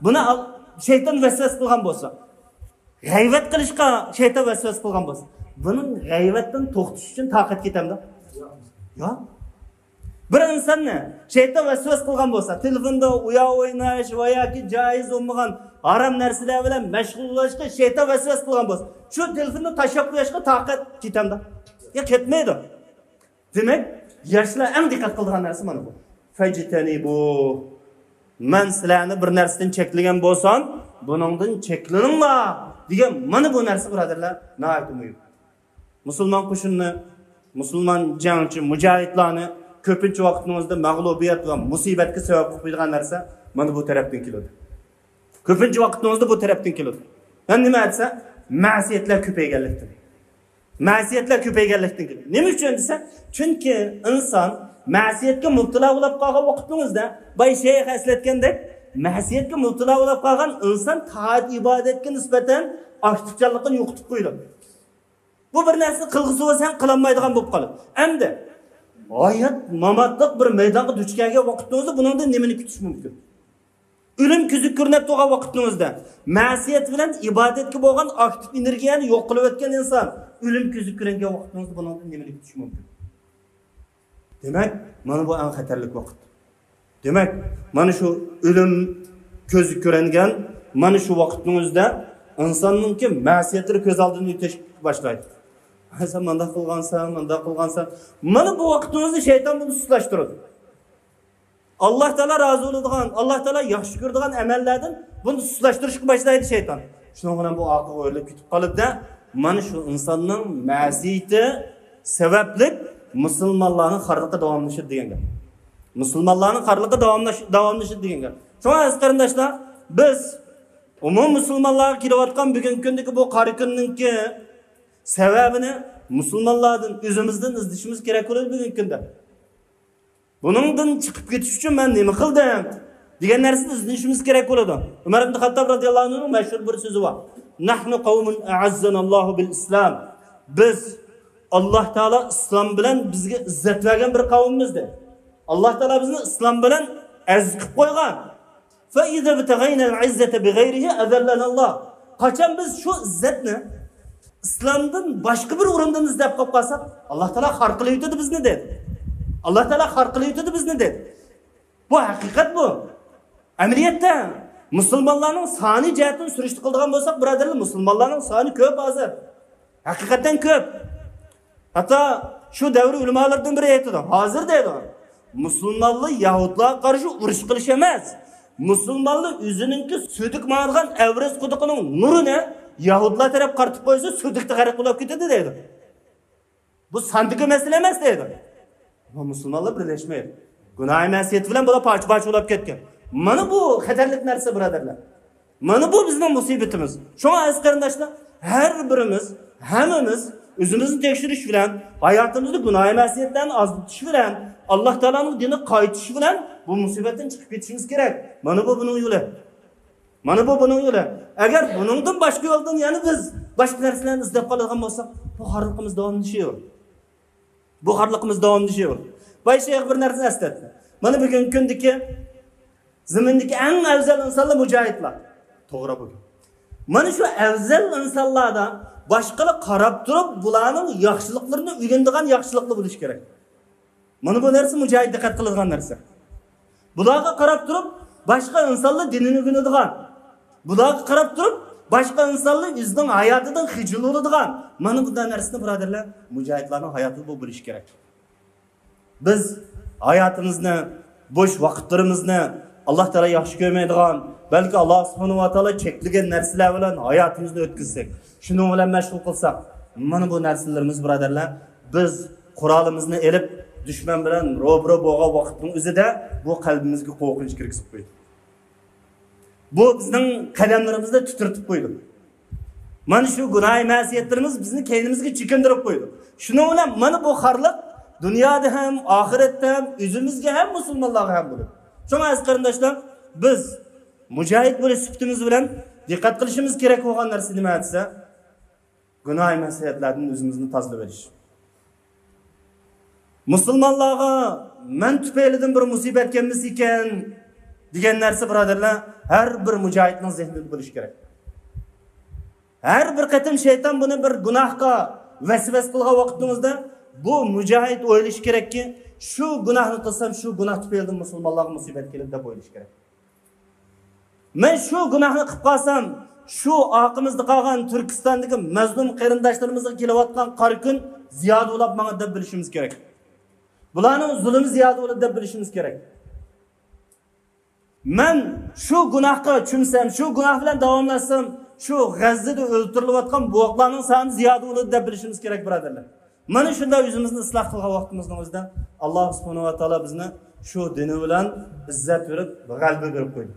بۇنى ئال-، شەيتان ۋەسۋەسە قىلغان بولسا، غەيۋەت قىلىشقا شەيتان ۋەسۋەسە قىلغان بولسا، بۇنىڭ غەيۋەتتىن توختىشى ئۈچۈن تاقەت كېتەمدۇ؟ ياق. بىر ئىنساننى شەيتان ۋەسۋەسە قىلغان بولسا، تېلېفوندا ئويۇن ئويناش ۋە ياكى جائىز بولمىغان ھارام نەرسىلەر بىلەن مەشغۇللىنىشقا شەيتان ۋەسۋەسە قىلغان بولسا، شۇ تېلېفوننى تاشلاپ قويۇشقا تاقەت كېتەمدۇ؟ ياق، كەتمەيدۇ. دېمەك، ياشلار ئەڭ دىققەت قىلىدىغان نەرسە مانا بۇ. فەجتەنىبۇ. مەن سىلەرنى بىر نەرسىدىن چەكلىگەن بولسام، بۇنىڭدىن چەكلىنىڭلار دېگەن مانا بۇ نەرسە، بۇرادەرلەر، ناھايىتى مۇھىم. مۇسۇلمان قوشۇنىنى، مۇسۇلمان جەڭچى مۇجاھىدلارنى كۆپىنچە ۋاقىتنىڭىزدا مەغلۇبىيەت ۋە مۇسىبەتكە سەۋەب قىلىپ قويىدىغان نەرسە مانا بۇ تەرەپتىن كېلىدۇ. كۆپىنچە ۋاقىتنىڭىزدا بۇ تەرەپتىن كېلىدۇ. ھەم نېمە دېسە، مەسىيەتلەر كۆپەيگەنلىكتىن. مەسىيەتلەر كۆپەيگەنلىكتىن كېلىدۇ. نېمە ئۈچۈن دېسە، چۈنكى ئىنسان مەسىيەتكە مۇپتىلا بولۇپ قالغان ۋاقتىڭىزدا، باي شەيخ ئەسلەتكەندەك، مەسىيەتكە مۇپتىلا بولۇپ قالغان ئىنسان تائەت ئىبادەتكە نىسبەتەن ئاكتىپچانلىقىنى يوقىتىپ قويىدۇ. بۇ بىر نەرسە قىلغۇسى بولسا ھەم قىلالمايدىغان بولۇپ قالىدۇ. ئەمدى ھايات ماماتلىق بىر مەيدانغا دۇچ كەلگەن ۋاقتىڭىزدا بۇنىڭدىن نېمىنى كۈتۈش مۇمكىن؟ ئۆلۈم كۆزگە كۆرۈنۈپ تۇرغان ۋاقتىڭىزدا، مەسىيەت بىلەن ئىبادەتكە بولغان ئاكتىپ ئېنېرگىيەنى يوق قىلىۋەتكەن ئىنسان ئۆلۈم كۆزگە كۆرۈنگەن ۋاقتىڭىزدا بۇنىڭدىن نېمىنى كۈتۈش مۇمكىن؟ دېمەك، مانا بۇ ئەڭ خەتەرلىك ۋاقىت. دېمەك، مانا شۇ ئۆلۈم كۆزگە كۆرۈنگەن مانا شۇ ۋاقىتنىڭ ئۆزىدە ئىنساننىڭكى مەسىيەتلىرى كۆز ئالدىدىن ئۆتۈشكە باشلايدۇ. ھە، سەن مانداق قىلغانسەن، مانداق قىلغانسەن. مانا بۇ ۋاقىتنىڭ ئۆزىدە شەيتان بۇنى سۇسلاشتۇرىدۇ. ئاللاھ تائالا رازى بولىدىغان، ئاللاھ تائالا ياخشى كۆرىدىغان ئەمەللەردىن بۇنى سۇسلاشتۇرۇشقا باشلايدۇ شەيتان. شۇنىڭ بىلەن بۇ ئارقىغا ئۆرۈلۈپ كېتىپ قالىدۇ-دە، مانا شۇ ئىنساننىڭ مەسىيىتى سەۋەبلىك مۇسۇلمانلارنىڭ خارلىقى داۋاملىشىدۇ دېگەن گەپ. مۇسۇلمانلارنىڭ خارلىقى داۋاملاش-، داۋاملىشىدۇ دېگەن گەپ. شۇڭا ئەزىز قېرىنداشلار، بىز ئومۇم مۇسۇلمانلارغا كېلىۋاتقان بۈگۈنكى كۈندىكى بۇ قارا كۈننىڭكى سەۋەبىنى مۇسۇلمانلاردىن، ئۆزىمىزدىن ئىزدىشىمىز كېرەك بولىدۇ بۈگۈنكى كۈندە. بۇنىڭدىن چىقىپ كېتىش ئۈچۈن مەن نېمە قىلدىم؟ دېگەن نەرسىنى ئىزدىنىشىمىز كېرەك بولىدۇ. ئۆمەر ئىبن خەتتاب رازىياللاھۇ ئەنھۇنىڭ مەشھۇر بىر سۆزى بار. نحن قوم أعزنا الله بالإسلام. بىز، ئاللاھ تائالا ئىسلام بىلەن بىزگە ئىززەت بەرگەن بىر قەۋممىز دېدى. ئاللاھ تائالا بىزنى ئىسلام بىلەن ئەزىز قىلىپ قويغان. فإذا ابتغينا العزة بغيره أذلنا الله. قاچان بىز شۇ ئىززەتنى ئىسلامدىن باشقا بىر ئورۇندىن ئىزدەپ قېلىپ قالساق، ئاللاھ تائالا خار قىلىۋېتىدۇ بىزنى دېدى. ئاللاھ تائالا خار قىلىۋېتىدۇ بىزنى دېدى. بۇ ھەقىقەت بۇ. ئەمەلىيەتتە مۇسۇلمانلارنىڭ سانى جەھەتتىن سۈرۈشتە قىلىدىغان بولساق، بۇرادەرلەر، مۇسۇلمانلارنىڭ سانى كۆپ ھازىر. ھەقىقەتەن كۆپ. ھەتتا شۇ دەۋر ئۆلىمالىرىدىن بىرى ئېيتىدۇ. ھازىر دەيدۇ، مۇسۇلمانلار يەھۇدلارغا قارشى ئۇرۇش قىلىش ئەمەس. مۇسۇلمانلار ئۆزىنىڭكى سۈيدۈك ماڭىدىغان ئەۋرەز قۇدۇقىنىڭ نۇرىنى يەھۇدلار تەرەپ قارىتىپ قويسا، سۈيدۈكتە غەرق بولۇپ كېتىدۇ دەيدۇ. بۇ ساندىكى مەسىلە ئەمەس دەيدۇ. ئەمما مۇسۇلمانلار بىرلەشمەيدۇ. گۇناھى مەسىيەت بىلەن بۇلار پارچە-پارچە بولۇپ كەتكەن. مانا بۇ خەتەرلىك نەرسە، بۇرادەرلەر. مانا بۇ بىزنىڭ مۇسىبىتىمىز. شۇڭا ئەزىز قېرىنداشلار، ھەر بىرىمىز، ھەممىمىز ئۆزىمىزنى تەكشۈرۈش بىلەن، ھاياتىمىزدا گۇناھى مەسىيەتلەرنى ئازلىتىش بىلەن، ئاللاھ تائالانىڭ دىنىغا قايتىش بىلەن بۇ مۇسىبەتتىن چىقىپ كېتىشىمىز كېرەك. مانا بۇ بۇنىڭ يولى. مانا بۇ بۇنىڭ يولى. ئەگەر بۇنىڭدىن باشقا يولدىن يەنە بىز باشقا نەرسىلەرنى ئىزدەپ قالىدىغان بولساق، بۇ خارلىقىمىز داۋاملىشىۋېرىدۇ. بۇ خارلىقىمىز داۋاملىشىۋېرىدۇ. باي شەيخ بىر نەرسىنى ئەسلەتتى. مانا بۈگۈنكى كۈندىكى زېمىندىكى ئەڭ ئەۋزەل ئىنسانلار مۇجاھىدلار. توغرا بۇ. مانا شۇ ئەۋزەل ئىنسانلاردا باشقىلار قاراپ تۇرۇپ، بۇلارنىڭ ياخشىلىقلىرىنى ئۆگىنىدىغان ياخشىلىقلار بولۇشى كېرەك. مانا بۇ نەرسە مۇجاھىد دىققەت قىلىدىغان نەرسە. بۇلارغا قاراپ تۇرۇپ، باشقا ئىنسانلار دىنىنى ئۆگىنىدىغان، بۇلارغا قاراپ تۇرۇپ، باشقا ئىنسانلار ئۆزىنىڭ ھاياتىدىن خىجىل بولىدىغان، مانا بۇنداق نەرسىنى، بۇرادەرلەر، مۇجاھىدلارنىڭ ھاياتىدا بۇ بولۇشى كېرەك. بىز ھاياتىمىزنى، بوش ۋاقىتلىرىمىزنى ئاللاھ تائالا ياخشى كۆرمەيدىغان، بەلكى ئاللاھ سۇبھانەھۇ ۋە تائالا چەكلىگەن نەرسىلەر بىلەن ھاياتىمىزنى ئۆتكۈزسەك، شۇنىڭ بىلەن مەشغۇل قىلساق، مانا بۇ نەرسىلىرىمىز، بۇرادەرلەر، بىز قورالىمىزنى ئېلىپ، دۈشمەن بىلەن روبىرو بولغان ۋاقىتنىڭ ئۆزىدە بۇ قەلبىمىزگە قورقۇنچ كىرگۈزۈپ قويدى. بۇ بىزنىڭ قەدەملىرىمىزنى تىترىتىپ قويدى. مانا شۇ گۇناھى مەسىيەتلىرىمىز بىزنى كەينىمىزگە چېكىندۈرۈپ قويدى. شۇنىڭ بىلەن مانا بۇ خارلىق دۇنيادا ھەم، ئاخىرەتتە ھەم، ئۆزىمىزگە ھەم، مۇسۇلمانلارغا ھەم بولىدۇ. شۇڭا ئەزىز قېرىنداشلار، بىز مۇجاھىد بولۇش سۈپىتىمىز بىلەن دىققەت قىلىشىمىز كېرەك بولغان نەرسە نېمە دېسە، گۇناھى مەسىيەتلەردىن ئۆزىمىزنى تازىلىۋېلىش. مۇسۇلمانلارغا مەن تۈپەيلىدىن بىر مۇسىبەت كەلمىسىكەن دېگەن نەرسە، بۇرادەرلەر، ھەر بىر مۇجاھىدنىڭ زېھنىدە بولۇشى كېرەك. ھەر بىر قېتىم شەيتان بۇنى بىر گۇناھقا ۋەسۋەسە قىلغان ۋاقتىمىزدا، بۇ مۇجاھىد ئويلىشى كېرەككى، شۇ گۇناھنى قىلسام، شۇ گۇناھ تۈپەيلىدىن مۇسۇلمانلارغا مۇسىبەت كېلىدۇ دەپ ئويلىشى كېرەك. مەن شۇ گۇناھنى قىلىپ قالسام، شۇ ئارقىمىزدا قالغان تۈركىستاندىكى مەزلۇم قېرىنداشلىرىمىزغا كېلىۋاتقان قارا كۈن زىيادە بولۇپ ماڭىدۇ دەپ بىلىشىمىز كېرەك. بۇلارنىڭ زۇلۇمى زىيادە بولىدۇ دەپ بىلىشىمىز كېرەك. مەن شۇ گۇناھقا چۆمسەم، شۇ گۇناھ بىلەن داۋاملاشسام، شۇ غەززىدە ئۆلتۈرۈلۈۋاتقان بوۋاقلارنىڭ سانى زىيادە بولىدۇ دەپ بىلىشىمىز كېرەك، بۇرادەرلەر. مانا شۇنداق ئۆزىمىزنى ئىسلاھ قىلغان ۋاقتىمىزنىڭ ئۆزىدە، ئاللا سۇبھانەھۇ ۋە تائالا بىزنى شۇ دىنى بىلەن ئىززەت بېرىپ، غەلىبە بېرىپ قويدى.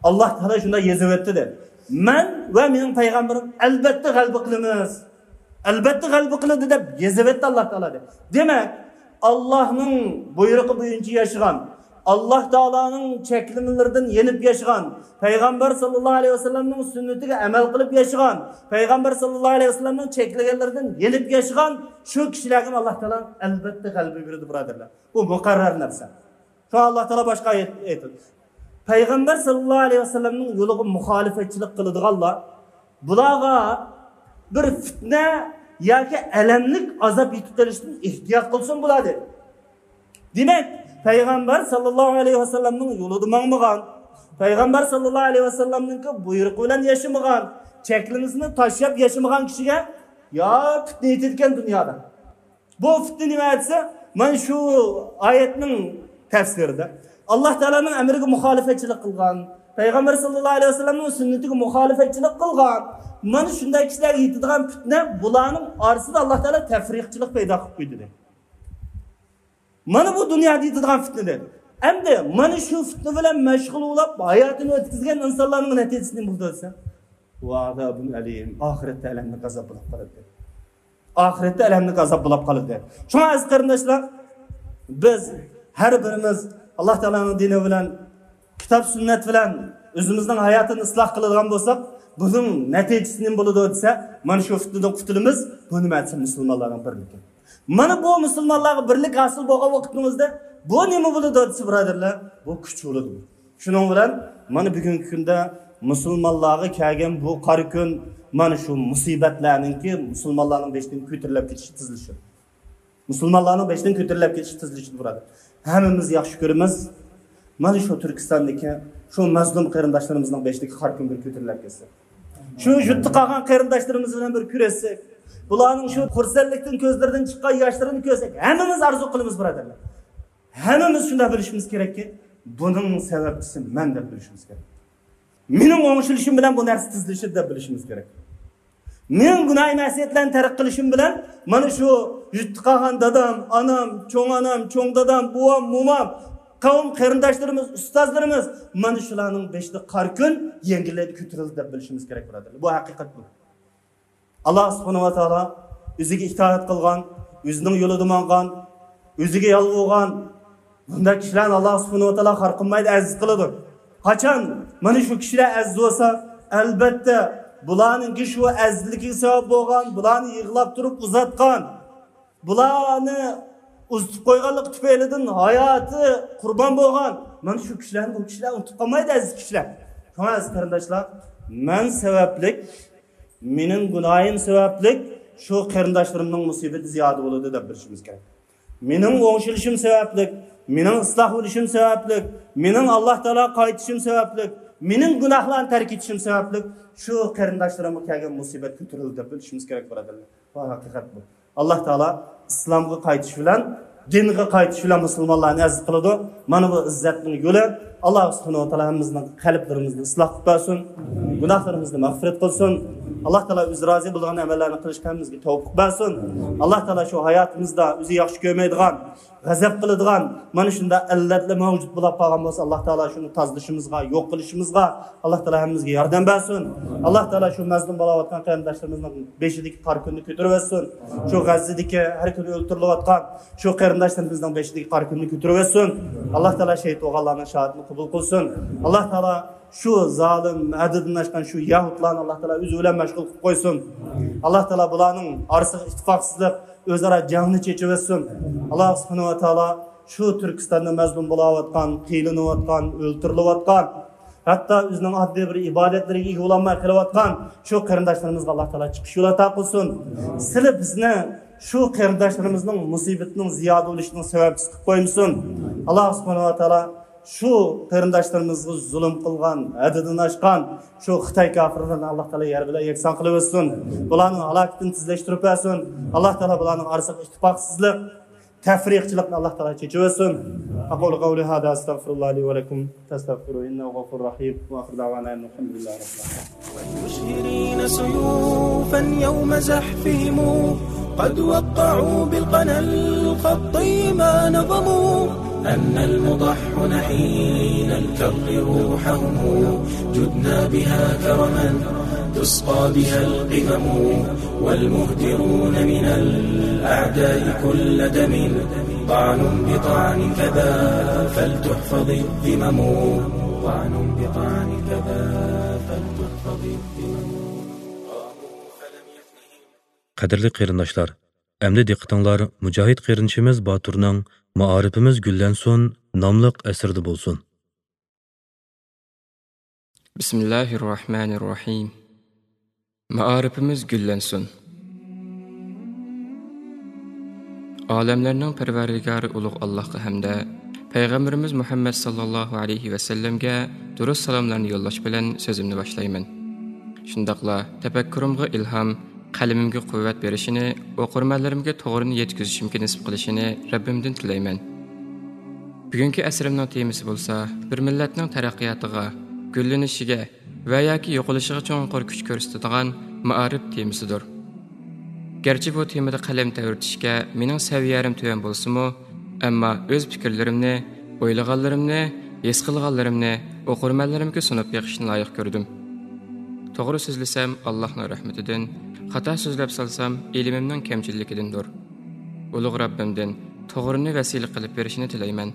ئاللا تائالا شۇنداق يېزىۋەتتى دە، مەن ۋە مېنىڭ پەيغەمبىرىم ئەلبەتتە غەلىبە قىلىمىز. ئەلبەتتە غەلىبە قىلىدۇ دەپ يېزىۋەتتى ئاللا تائالا دە. دېمەك، ئاللانىڭ بۇيرۇقى بويىچە ياشىغان، ئاللا تائالانىڭ چەكلىمىلىرىدىن يېنىپ ياشىغان، پەيغەمبەر ساللاللاھۇ ئەلەيھى ۋەسەللەمنىڭ سۈننىتىگە ئەمەل قىلىپ ياشىغان، پەيغەمبەر ساللاللاھۇ ئەلەيھى ۋەسەللەمنىڭ چەكلىگەنلىرىدىن يېنىپ ياشىغان شۇ كىشىلەرگە ئاللا تائالا ئەلبەتتە غەلىبە بېرىدۇ، بۇرادەرلەر. بۇ مۇقەررەر نەرسە. شۇڭا ئاللا تائالا باشقا ئايەت ئېيتىدۇ. پەيغەمبەر ساللاللاھۇ ئەلەيھى ۋەسەللەمنىڭ يولىغا مۇخالىپەتچىلىك قىلىدىغانلار، بۇلارغا بىر پىتنە ياكى ئەلەملىك ئازاب يېتىپ قېلىشتىن ئېھتىيات قىلسۇن بۇلار، دېدى. دېمەك، پەيغەمبەر ساللاللاھۇ ئەلەيھى ۋەسەللەمنىڭ يولىدا ماڭمىغان، پەيغەمبەر ساللاللاھۇ ئەلەيھى ۋەسەللەمنىڭكى بۇيرۇقى بىلەن ياشىمىغان، چەكلىمىسىنى تاشلاپ ياشىمىغان كىشىگە يا پىتنە يېتىدىكەن دۇنيادا. بۇ پىتنە نېمە دېسە، مانا شۇ ئايەتنىڭ تەپسىرىدە، ئاللا تائالانىڭ ئەمرىگە مۇخالىپەتچىلىك قىلغان، پەيغەمبەر ساللاللاھۇ ئەلەيھى ۋەسەللەمنىڭ سۈننىتىگە مۇخالىپەتچىلىك قىلغان، مانا شۇنداق كىشىلەرگە يېتىدىغان پىتنە، بۇلارنىڭ ئارىسىدا ئاللا تائالا تەپرىقىچىلىق پەيدا قىلىپ قويدى، دېدى. مانا بۇ دۇنيادا يېتىدىغان پىتنە، دېدى. ئەمدى مانا شۇ پىتنە بىلەن مەشغۇل بولۇپ، ھاياتىنى ئۆتكۈزگەن ئىنسانلارنىڭ نەتىجىسى نېمە بولىدۇ دېسە، ۋە ئازابۇن ئەلىم، ئاخىرەتتە ئەلەملىك ئازاب بولۇپ قالىدۇ. ئاخىرەتتە ئەلەملىك ئازاب بولۇپ قالىدۇ. شۇڭا ئەزىز قېرىنداشلار، بىز ھەر بىرىمىز ئاللا تائالانىڭ دىنى بىلەن، كىتاب سۈننەت بىلەن ئۆزىمىزنىڭ ھاياتىنى ئىسلاھ قىلىدىغان بولساق، بۇنىڭ نەتىجىسى نېمە بولىدۇ دېسە، مانا شۇ پىتنىدىن قۇتۇلىمىز. بۇ نېمە دېسە، مۇسۇلمانلارنىڭ بىرلىكى. مانا بۇ مۇسۇلمانلارغا بىرلىك ھاسىل بولغان ۋاقتىمىزدا بۇ نېمە بولىدۇ دېسە، بۇرادەرلەر، بۇ كۈچ بولىدۇ. شۇنىڭ بىلەن مانا بۈگۈنكى كۈندە مۇسۇلمانلارغا كەلگەن بۇ قارا كۈن، مانا شۇ مۇسىبەتلەرنىڭكى مۇسۇلمانلارنىڭ بېشىدىن كۆتۈرۈلۈپ كېتىشى تېزلىشىدۇ. مۇسۇلمانلارنىڭ بېشىدىن كۆتۈرۈلۈپ كېتىشى تېزلىشىدۇ، بۇرادەر. ھەممىمىز ياخشى كۆرىمىز. مانا شۇ تۈركىستاندىكى شۇ مەزلۇم قېرىنداشلىرىمىزنىڭ بېشىدىكى قارا كۈن بىر كۆتۈرۈلۈپ كەتسە. شۇ يۇرتتا قالغان قېرىنداشلىرىمىز بىلەن بىر كۆرۈشسەك، بۇلارنىڭ شۇ خۇرسەنلىكتىن كۆزلىرىدىن چىققان ياشلىرىنى كۆرسەك، ھەممىمىز ئارزۇ قىلىمىز، بۇرادەرلەر. ھەممىمىز شۇنداق بىلىشىمىز كېرەككى، بۇنىڭ سەۋەبچىسى مەن دەپ بىلىشىمىز كېرەك. مېنىڭ ئوڭشىلىشىم بىلەن بۇ نەرسە تېزلىشىدۇ دەپ بىلىشىمىز كېرەك. مېنىڭ گۇناھىي مەسىيەتلەرنى تەرك قىلىشىم بىلەن مانا شۇ يۇرتتا قالغان دادام، ئانام، چوڭ ئانام، چوڭ دادام، بوۋام، مومام، قەۋم قېرىنداشلىرىمىز، ئۇستازلىرىمىز، مانا شۇلارنىڭ بېشىدا قارا كۈن يەڭگىللەپ كۆتۈرۈلدى دەپ بىلىشىمىز كېرەك، بۇرادەرلەر. بۇ ھەقىقەت بۇ. ئاللا سۇبھانەھۇ ۋە تائالا ئۆزىگە ئىتائەت قىلغان، ئۆزىنىڭ يولىدا ماڭغان، ئۆزىگە يالۋۇرغان بۇنداق كىشىلەرنى ئاللا سۇبھانەھۇ ۋە تائالا خار قىلمايدۇ، ئەزىز قىلىدۇ. قاچان مانا شۇ كىشىلەر ئەزىز بولسا، ئەلبەتتە، بۇلارنىڭكى شۇ ئەزىزلىكىگە سەۋەب بولغان، بۇلارنى يىغلاپ تۇرۇپ ئۇزاتقان، بۇلارنى ئۇزىتىپ قويغانلىقى تۈپەيلىدىن ھاياتى قۇربان بولغان، مانا شۇ كىشىلەرنى بۇ كىشىلەر ئۇنتۇپ قالمايدۇ، ئەزىز كىشىلەر. شۇڭا ئەزىز قېرىنداشلار، مەن سەۋەبلىك، مېنىڭ گۇناھىم سەۋەبلىك شۇ قېرىنداشلىرىمنىڭ مۇسىبىتى زىيادە بولىدۇ دەپ بىلىشىمىز كېرەك. مېنىڭ ئوڭشىلىشىم سەۋەبلىك، مېنىڭ ئىسلاھ بولۇشۇم سەۋەبلىك، مېنىڭ ئاللا تائالاغا قايتىشىم سەۋەبلىك، مېنىڭ گۇناھلارنى تەرك ئېتىشىم سەۋەبلىك شۇ قېرىنداشلىرىمغا كەلگەن مۇسىبەت كۆتۈرۈلدى دەپ بىلىشىمىز كېرەك، بۇرادەرلەر. بۇ ھەقىقەت بۇ. ئاللا تائالا ئىسلامغا قايتىش بىلەن، دىنغا قايتىش بىلەن مۇسۇلمانلارنى ئەزىز قىلىدۇ. مانا بۇ ئىززەتنىڭ يولى. ئاللا سۇبھانەھۇ ۋە تائالا ھەممىمىزنىڭ قەلبلىرىمىزنى ئىسلاھ قىلىپ بەرسۇن. گۇناھلىرىمىزنى مەغپىرەت قىلسۇن. ئاللا تائالا ئۆزى رازى بولىدىغان ئەمەللەرنى قىلىشقا ھەممىمىزگە تەۋپىق بەرسۇن. ئاللا تائالا شۇ ھاياتىمىزدا ئۆزى ياخشى كۆرمەيدىغان، غەزەپ قىلىدىغان مانا شۇنداق ئىللەتلەر مەۋجۇت بولۇپ قالغان بولسا، ئاللا تائالا شۇنى تازىلىشىمىزغا، يوق قىلىشىمىزغا ئاللا تائالا ھەممىمىزگە ياردەم بەرسۇن. ئاللا تائالا شۇ مەزلۇم بولاۋاتقان قېرىنداشلىرىمىزنىڭ بېشىدىكى قارا كۈننى كۆتۈرۈۋەتسۇن. شۇ غەززىدىكى ھەر كۈنى ئۆلتۈرۈلۈۋاتقان شۇ قېرىنداشلىرىمىزنىڭ بېشىدىكى قارا كۈننى كۆتۈرۈۋەتسۇن. ئاللا تائالا شېھىت بولغانلارنىڭ شاھادىتىنى قوبۇل قىلسۇن. ئاللا تائالا شۇ زالىم، ھەددىدىن ئاشقان شۇ يەھۇدلارنى ئاللا تائالا ئۆزى بىلەن مەشغۇل قىلىپ قويسۇن. ئاللا تائالا بۇلارنىڭ ئارىسىغا ئىتتىپاقسىزلىق، ئۆزئارا جەڭنى چېچىۋەتسۇن. ئاللا سۇبھانەھۇ ۋە تائالا شۇ تۈركىستاندا مەزلۇم بولاۋاتقان، قىينىلىۋاتقان، ئۆلتۈرۈلۈۋاتقان، ھەتتا ئۆزىنىڭ ئاددىي بىر ئىبادەتلىرىگە ئىگە بولالماي قېلىۋاتقان شۇ قېرىنداشلىرىمىزغا ئاللا تائالا چىقىش يولى ئاتا قىلسۇن. سىلى بىزنى شۇ قېرىنداشلىرىمىزنىڭ مۇسىبىتىنىڭ زىيادە بولۇشىنىڭ سەۋەبچىسى قىلىپ قويمىسۇن. ئاللا سۇبھانەھۇ ۋە تائالا شۇ قېرىنداشلىرىمىزغا زۇلۇم قىلغان، ھەددىدىن ئاشقان شۇ خىتاي كاپىرلىرىنى ئاللا تائالا يەر بىلەن يەكسان قىلىۋەتسۇن. بۇلارنىڭ ھالاكىتىنى تېزلەشتۈرۈپ بەرسۇن. ئاللا تائالا بۇلارنىڭ ئارىسىغا ئىتتىپاقسىزلىق، تەپرىقىچىلىقنى ئاللا تائالا چېچىۋەتسۇن. أقول قولي هذا أستغفر الله لي ولكم فاستغفروه إنه غفور رحيم. وآخر دعوانا أن الحمد لله رب العالمين. والمشهرين سيوفا يوم زحفهم قد وقعوا بالقنا الخطي ما نظموا، أن المضحون حين الكر روحهم، جدنا بها كرما تسقى بها القمم، والمهدرون من الأعداء كل دم، طعن بطعن كذا فلتحفظ الذمم، طعن بطعن كذا فلتحفظ الذمم. قاموا فلم يفنهم. قەدىرلىك قېرىنداشلار، ئەمدى دىققىتىڭلار مۇجاھىد قېرىندىشىمىز باتۇرنىڭ مائارىپىمىز گۈللەنسۇن ناملىق ئەسىرىدە بولسۇن. بىسمىللاھىررەھمانىررەھىم. مائارىپىمىز گۈللەنسۇن. ئالەملەرنىڭ پەرۋەردىگارى ئۇلۇغ ئاللاھقا ھەمدە پەيغەمبىرىمىز مۇھەممەد ساللاللاھۇ ئەلەيھى ۋەسەللەمگە دۇرۇت سالاملارنى يوللاش بىلەن سۆزۈمنى باشلايمەن. شۇنداقلا تەپەككۇرۇمغا ئىلھام، قەلىمىمگە قۇۋۋەت بېرىشىنى، ئوقۇرمەنلىرىمگە توغرىنى يەتكۈزۈشۈمگە نېسىپ قىلىشىنى رەببىمدىن تىلەيمەن. بۈگۈنكى ئەسىرىمنىڭ تېمىسى بولسا، بىر مىللەتنىڭ تەرەققىياتىغا، گۈللىنىشىگە ۋە ياكى يوقىلىشىغا چوڭقۇر كۈچ كۆرسىتىدىغان مائارىپ تېمىسىدۇر. گەرچە بۇ تېمىدا قەلەم تەۋرىتىشكە مېنىڭ سەۋىيەم تۆۋەن بولسىمۇ، ئەمما ئۆز پىكىرلىرىمنى، ئويلىغانلىرىمنى، ھېس قىلغانلىرىمنى ئوقۇرمەنلىرىمگە سۇنۇپ بېقىشنى لايىق كۆردۈم. توغرا سۆزلىسەم، ئاللاھنىڭ رەھمىتىدىن، خاتا سۆزلەپ سالسام، ئىلمىمنىڭ كەمچىللىكىدىندۇر. ئۇلۇغ رەببىمدىن توغرىنى ۋەسىلە قىلىپ بېرىشىنى تىلەيمەن.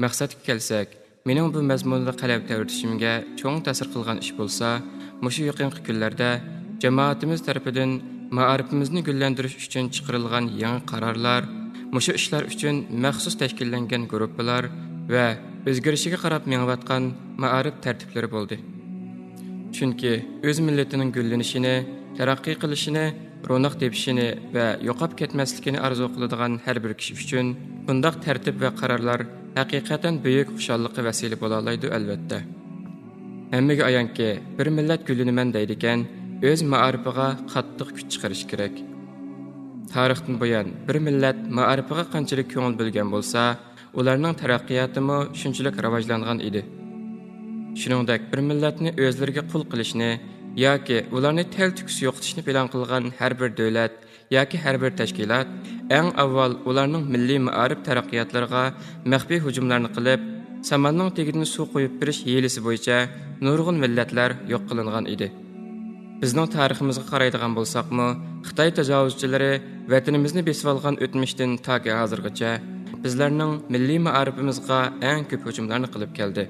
مەقسەتكە كەلسەك، مېنىڭ بۇ مەزمۇندا قەلەم تەۋرىتىشىمگە چوڭ تەسىر قىلغان ئىش بولسا، مۇشۇ يېقىنقى كۈنلەردە جامائىتىمىز تەرىپىدىن مائارىپىمىزنى گۈللەندۈرۈش ئۈچۈن چىقىرىلغان يېڭى قارارلار، مۇشۇ ئىشلار ئۈچۈن مەخسۇس تەشكىللەنگەن گۇرۇپپىلار ۋە ئۆزگىرىشىگە قاراپ مېڭىۋاتقان مائارىپ تەرتىپلىرى بولدى. چۈنكى ئۆز مىللىتىنىڭ گۈللىنىشىنى، تەرەققىي قىلىشىنى، روناق تېپىشىنى ۋە يوقاپ كەتمەسلىكىنى ئارزۇ قىلىدىغان ھەر بىر كىشى ئۈچۈن بۇنداق تەرتىپ ۋە قارارلار ھەقىقەتەن بۈيۈك خۇشاللىققا ۋەسىلە بولالايدۇ، ئەلۋەتتە. ھەممىگە ئايانكى، بىر مىللەت گۈللىنىمەن دەيدىكەن، ئۆز مائارىپىغا قاتتىق كۈچ چىقىرىشى كېرەك. تارىختىن بۇيان، بىر مىللەت مائارىپىغا قانچىلىك كۆڭۈل بۆلگەن بولسا، ئۇلارنىڭ تەرەققىياتىمۇ شۇنچىلىك راۋاجلانغان ئىدى. شۇنىڭدەك، بىر مىللەتنى ئۆزلىرىگە قۇل قىلىشنى ياكى ئۇلارنى تەلتۆكۈس يوقىتىشنى پىلان قىلغان ھەر بىر دۆلەت ياكى ھەر بىر تەشكىلات ئەڭ ئاۋۋال ئۇلارنىڭ مىللىي مائارىپ تەرەققىياتلىرىغا مەخپىي ھۇجۇملارنى قىلىپ، ساماننىڭ تېگىدىن سۇ قۇيۇپ بېرىش ھىيلىسى بويىچە نۇرغۇن مىللەتلەر يوق قىلىنغان ئىدى. بىزنىڭ تارىخىمىزغا قارايدىغان بولساقمۇ، خىتاي تاجاۋۇزچىلىرى ۋەتىنىمىزنى بېسىۋالغان ئۆتمۈشتىن تاكى ھازىرغىچە بىزلەرنىڭ مىللىي مائارىپىمىزغا ئەڭ كۆپ ھۇجۇملارنى قىلىپ كەلدى.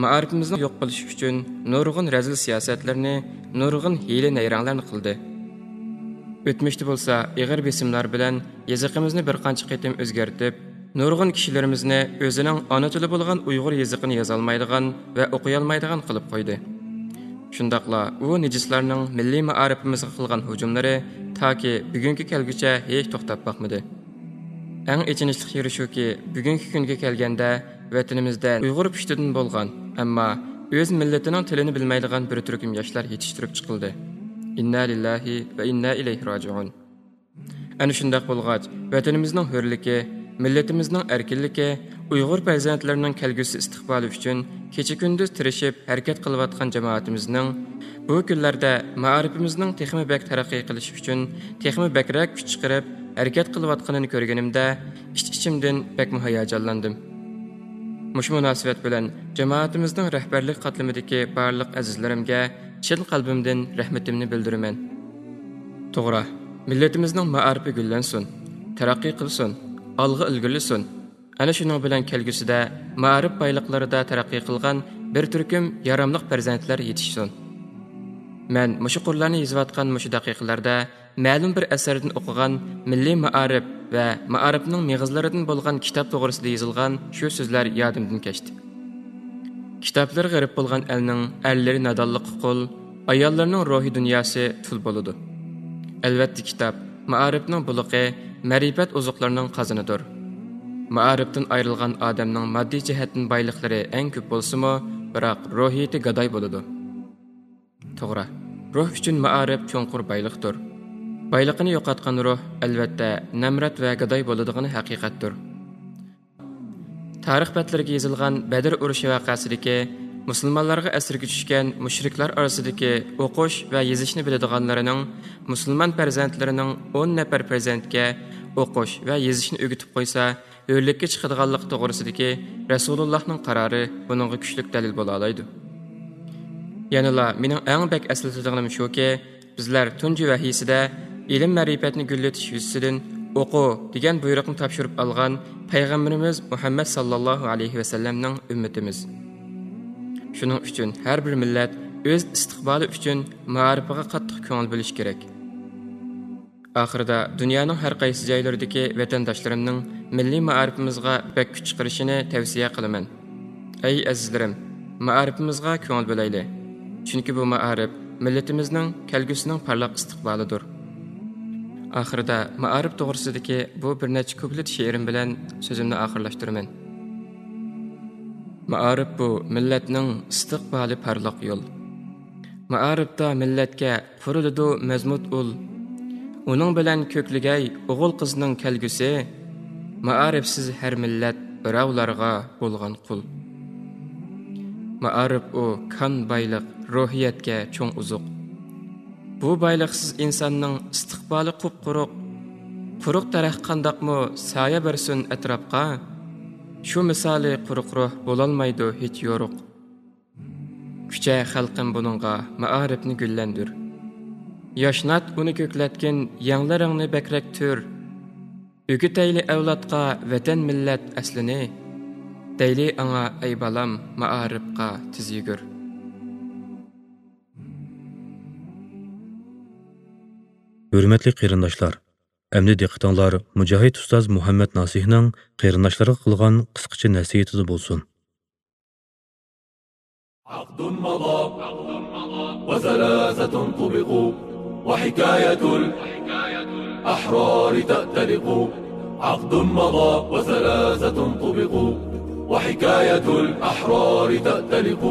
مائارىپىمىزنى يوق قىلىش ئۈچۈن نۇرغۇن رەزىل سىياسەتلەرنى، نۇرغۇن ھىيلە-نەيرەڭلەرنى قىلدى. ئۆتمۈشتە بولسا ئېغىر بېسىملار بىلەن يېزىقىمىزنى بىر قانچە قېتىم ئۆزگەرتىپ، نۇرغۇن كىشىلىرىمىزنى ئۆزىنىڭ ئانا تىلى بولغان ئۇيغۇر يېزىقىنى يازالمايدىغان ۋە ئوقۇيالمايدىغان قىلىپ قويدى. شۇنداقلا ئۇ نىجىسلارنىڭ مىللىي مائارىپىمىزغا قىلغان ھۇجۇملىرى تاكى بۈگۈنگە كەلگۈچە ھېچ توختاپ باقمىدى. ئەڭ ئېچىنىشلىق يېرى شۇكى، بۈگۈنكى كۈنگە كەلگەندە، ۋەتىنىمىزدە ئۇيغۇر پۇشتىدىن بولغان، ئەمما ئۆز مىللىتىنىڭ تىلىنى بىلمەيدىغان بىر تۈركۈم ياشلار يېتىشتۈرۈپ چىقىلدى. ئىننا لىللاھى ۋە ئىننا ئىلەيھى راجىئۇن. ئەنە شۇنداق بولغاچ، ۋەتىنىمىزنىڭ ھۆرلۈكى، مىللىتىمىزنىڭ ئەركىنلىكى، ئۇيغۇر پەرزەنتلىرىنىڭ كەلگۈسى ئىستىقبالى ئۈچۈن كېچە-كۈندۈز تىرىشىپ ھەرىكەت قىلىۋاتقان جامائىتىمىزنىڭ بۇ كۈنلەردە مائارىپىمىزنىڭ تېخىمۇ بەك تەرەققىي قىلىشى ئۈچۈن تېخىمۇ بەكرەك كۈچ چىقىرىپ ھەرىكەت قىلىۋاتقىنىنى كۆرگىنىمدە، ئىچ-ئىچىمدىن بەكمۇ ھاياجانلاندىم. مۇشۇ مۇناسىۋەت بىلەن جامائىتىمىزنىڭ رەھبەرلىك قاتلىمىدىكى بارلىق ئەزىزلىرىمگە چىن قەلبىمدىن رەھمىتىمنى بىلدۈرىمەن. توغرا، مىللىتىمىزنىڭ مائارىپى گۈللەنسۇن، تەرەققىي قىلسۇن، ئالغا ئىلگىرىلىسۇن. ئەنە شۇنىڭ بىلەن كەلگۈسىدە مائارىپ بايلىقلىرىدا تەرەققىي قىلغان بىر تۈركۈم ياراملىق پەرزەنتلەر يېتىشسۇن. مەن مۇشۇ قۇرلارنى يېزىۋاتقان مۇشۇ دەقىقىلەردە مەلۇم بىر ئەسەردىن ئوقۇغان مىللىي مائارىپ ۋە مائارىپنىڭ مېغىزلىرىدىن بولغان كىتاب توغرىسىدا يېزىلغان شۇ سۆزلەر يادىمدىن كەچتى. كىتابلىرى غېرىب بولغان ئەلنىڭ ئەرلىرى نادانلىققا قۇل، ئاياللىرىنىڭ روھىي دۇنياسى تۇل بولىدۇ. ئەلۋەتتە، كىتاب مائارىپنىڭ بۇلىقى، مەرىپەت ئوزۇقلىرىنىڭ قازىنىدۇر. مائارىپتىن ئايرىلغان ئادەمنىڭ ماددىي جەھەتتىن بايلىقلىرى ئەڭ كۆپ بولسىمۇ، بىراق روھىيىتى گاداي بولىدۇ. توغرا، روھ ئۈچۈن مائارىپ چوڭقۇر بايلىقتۇر. بايلىقىنى يوقاتقان روھ، ئەلۋەتتە، نامرات ۋە گاداي بولىدىغىنى ھەقىقەتتۇر. تارىخ بەتلىرىگە يېزىلغان بەدر ئۇرۇشى ۋەقەسىدىكى مۇسۇلمانلارغا ئەسىرگە چۈشكەن مۇشرىكلار ئارىسىدىكى ئوقۇش ۋە يېزىشنى بىلىدىغانلىرىنىڭ مۇسۇلمان پەرزەنتلىرىنىڭ ئون نەپەر پەرزەنتكە ئوقۇش ۋە يېزىشنى ئۆگىتىپ قويسا، ھۆرلۈككە چىقىدىغانلىقى توغرىسىدىكى رەسۇلۇللاھنىڭ قارارى بۇنىڭغا كۈچلۈك دەلىل بولالايدۇ. يەنىلا مېنىڭ ئەڭ بەك ئەسلىتىدىغىنىم شۇكى، بىزلەر تۇنجى ۋەھىيسىدە ئىلىم-مەرىپەتنى گۈللىتىش يۈزىسىدىن ئوقۇ دېگەن بۇيرۇقنى تاپشۇرۇپ ئالغان پەيغەمبىرىمىز مۇھەممەد ساللاللاھۇ ئەلەيھى ۋەسەللەمنىڭ ئۈممىتىمىز. شۇنىڭ ئۈچۈن ھەر بىر مىللەت ئۆز ئىستىقبالى ئۈچۈن مائارىپىغا قاتتىق كۆڭۈل بۆلۈشى كېرەك. ئاخىرىدا دۇنيانىڭ ھەر قايسى جايلىرىدىكى ۋەتەنداشلىرىمنىڭ مىللىي مائارىپىمىزغا بەك كۈچ چىقىرىشىنى تەۋسىيە قىلىمەن. ئەي ئەزىزلىرىم، مائارىپىمىزغا كۆڭۈل بۆلەيلى. چۈنكى بۇ مائارىپ مىللىتىمىزنىڭ كەلگۈسىنىڭ پارلاق ئىستىقبالىدۇر. ئاخىرىدا مائارىپ توغرىسىدىكى بۇ بىر نەچچە كۇپلېت شېئىرىم بىلەن سۆزۈمنى ئاخىرلاشتۇرىمەن. مائارىپ بۇ مىللەتنىڭ ئىستىقبالى پارلاق يول. مائارىپتا مىللەتكە قۇرۇلىدۇ مەزمۇت ئۇل. ئۇنىڭ بىلەن كۆكلىگەي ئوغۇل-قىزنىڭ كەلگۈسى. مائارىپسىز ھەر مىللەت بىراۋلارغا بولغان قۇل. مائارىپ ئۇ كان بايلىق، روھىيەتكە چوڭ ئوزۇق. بۇ بايلىقسىز ئىنساننىڭ ئىستىقبالى قۇپقۇرۇق. قۇرۇق دەرەخ قانداقمۇ سايە بەرسۇن ئەتراپقا؟ شۇ مىسالى قۇرۇق روھ بولالمايدۇ ھېچ يورۇق. كۈچە خەلقىم بۇنىڭغا مائارىپنى گۈللەندۈر. ياشنات ئۇنى كۆكلەتكىن يەڭلىرىڭنى بەكرەك تۈر. ئۆگىتەيلى ئەۋلادقا ۋەتەن مىللەت ئەسلىنى. دەيلى ئاڭا ئەي بالام مائارىپقا تېز يۈگۈر. ھۆرمەتلىك قېرىنداشلار، ئەمدى دىققىتىڭلار مۇجاھىد ئۇستاز مۇھەممەد ناسىھنىڭ قېرىنداشلارغا قىلغان قىسقىچە نەسىھىتىدە بولسۇن. عقد مضى وزلازة طبق وحكاية الأحرار تأتلق. عقد مضى وزلازة طبق وحكاية الأحرار تأتلق.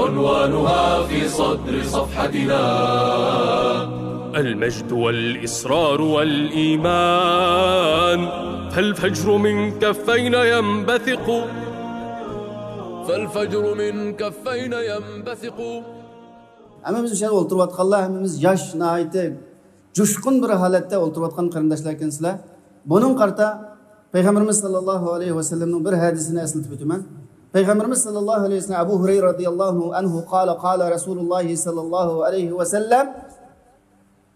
عنوانها في صدر صفحتنا. المجد والإصرار والإيمان. فالفجر من كفينا ينبثق. فالفجر من كفينا ينبثق. ھەممىمىز مۇشۇ يەردە ئولتۇرۇۋاتقانلار، ھەممىمىز ياش، ناھايىتى جۇشقۇن بىر ھالەتتە ئولتۇرۇۋاتقان قېرىنداشلار ئىكەنسىلەر. بۇنىڭغا قارىتا پەيغەمبىرىمىز ساللاللاھۇ ئەلەيھى ۋەسەللەمنىڭ بىر ھەدىسىنى ئەسلىتىپ ئۆتىمەن. پەيغەمبىرىمىز ساللاللاھۇ ئەلەيھى ۋەسەللەم، ئەبۇ ھۇرەيرە رەزىياللاھۇ ئەنھۇ قال، قال رەسۇلۇللاھى ساللاللاھۇ ئەلەيھى ۋەسەللەم.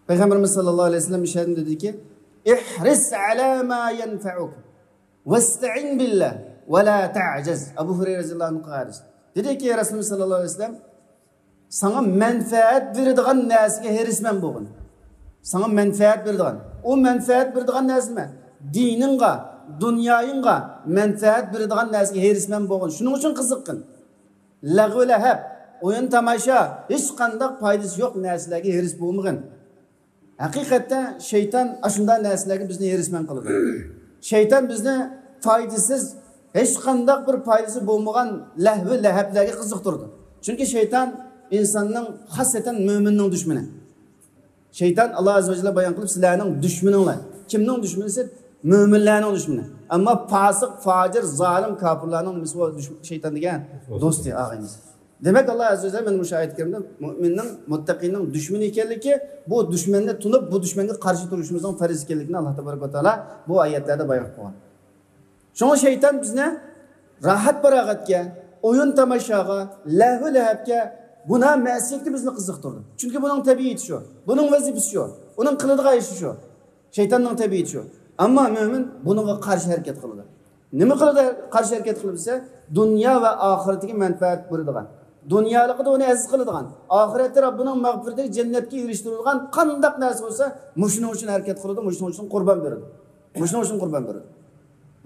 پەيغەمبىرىمىز ساللاللاھۇ ئەلەيھى ۋەسەللەم ئىشارەت دېدىكى، ئىھرىس ئەلا ما يەنفەئۇك ۋەستەئىن بىللا ۋە لا تەئجەز. ئەبۇ ھۇرەيرە رەزىياللاھۇ ئەنھۇ قىلغان ھەدىس. دېدىكى رەسۇلىمىز ساللاللاھۇ ئەلەيھى ۋەسەللەم، ساڭا مەنپەئەت بېرىدىغان نەرسىگە ھېرىسمەن بولغىن. ساڭا مەنپەئەت بېرىدىغان. ئۇ مەنپەئەت بېرىدىغان نەرسە نېمە؟ دىنىڭغا، دۇنيايىڭغا مەنپەئەت بېرىدىغان نەرسىگە ھېرىسمەن بولغىن. شۇنىڭ ئۈچۈن قىزىققىن. لەغۋ لەھەب، ئويۇن تاماشا، ھېچقانداق پايدىسى يوق نەرسىلەرگە ھېرىس بولمىغىن. ھەقىقەتتە شەيتان ئاشۇنداق نەرسىلەرگە بىزنى ھېرىسمەن قىلىدۇ. شەيتان بىزنى پايدىسىز، ھېچقانداق بىر پايدىسى بولمىغان لەھۋ لەھەبلەرگە قىزىقتۇرىدۇ. چۈنكى شەيتان ئىنساننىڭ، خاسسەتەن مۆمىننىڭ دۈشمىنى. شەيتان، ئاللا ئەززە ۋە جەللە بايان قىلىپ، سىلەرنىڭ دۈشمىنىڭلار. كىمنىڭ دۈشمىنى دېسە، مۆمىنلەرنىڭ دۈشمىنى. ئەمما پاسىق، پاجىر، زالىم، كاپىرلارنىڭ نېمىسى بۇ دۈش-، شەيتان دېگەن؟ دوستى، ئاغىنىسى. دېمەك، ئاللا ئەززە ۋە جەللە مانا مۇشۇ ئايەت كەرىمدە مۆمىننىڭ، مۇتتەقىنىڭ دۈشمىنى ئىكەنلىكى، بۇ دۈشمەننى تونۇپ، بۇ دۈشمەنگە قارشى تۇرۇشىمىزنىڭ پەرز ئىكەنلىكىنى ئاللا تەبارەك ۋە تائالا بۇ ئايەتلەردە بايان قىلىپ قويغان. شۇڭا شەيتان بىزنى راھەت-پاراغەتكە، ئويۇن-تاماشاغا، لەھۋ-لەھەبكە، گۇناھ-مەسىيەتكە بىزنى قىزىقتۇرىدۇ. چۈنكى بۇنىڭ تەبىئىتى شۇ، بۇنىڭ ۋەزىپىسى شۇ، ئۇنىڭ قىلىدىغان ئىشى شۇ. شەيتاننىڭ تەبىئىتى شۇ. ئەمما مۆمىن بۇنىڭغا قارشى ھەرىكەت قىلىدۇ. نېمە قىلىدۇ، قارشى ھەرىكەت قىلىدۇ دېسە، دۇنيا ۋە ئاخىرىتىگە مەنپەئەت بېرىدىغان، دۇنيالىقىدا ئۇنى ئەزىز قىلىدىغان، ئاخىرەتتە رەببىنىڭ مەغپىرىتىگە، جەننەتكە ئېرىشتۈرىدىغان قانداق نەرسە بولسا، مۇشۇنىڭ ئۈچۈن ھەرىكەت قىلىدۇ، مۇشۇنىڭ ئۈچۈن قۇربان بېرىدۇ. مۇشۇنىڭ ئۈچۈن قۇربان بېرىدۇ.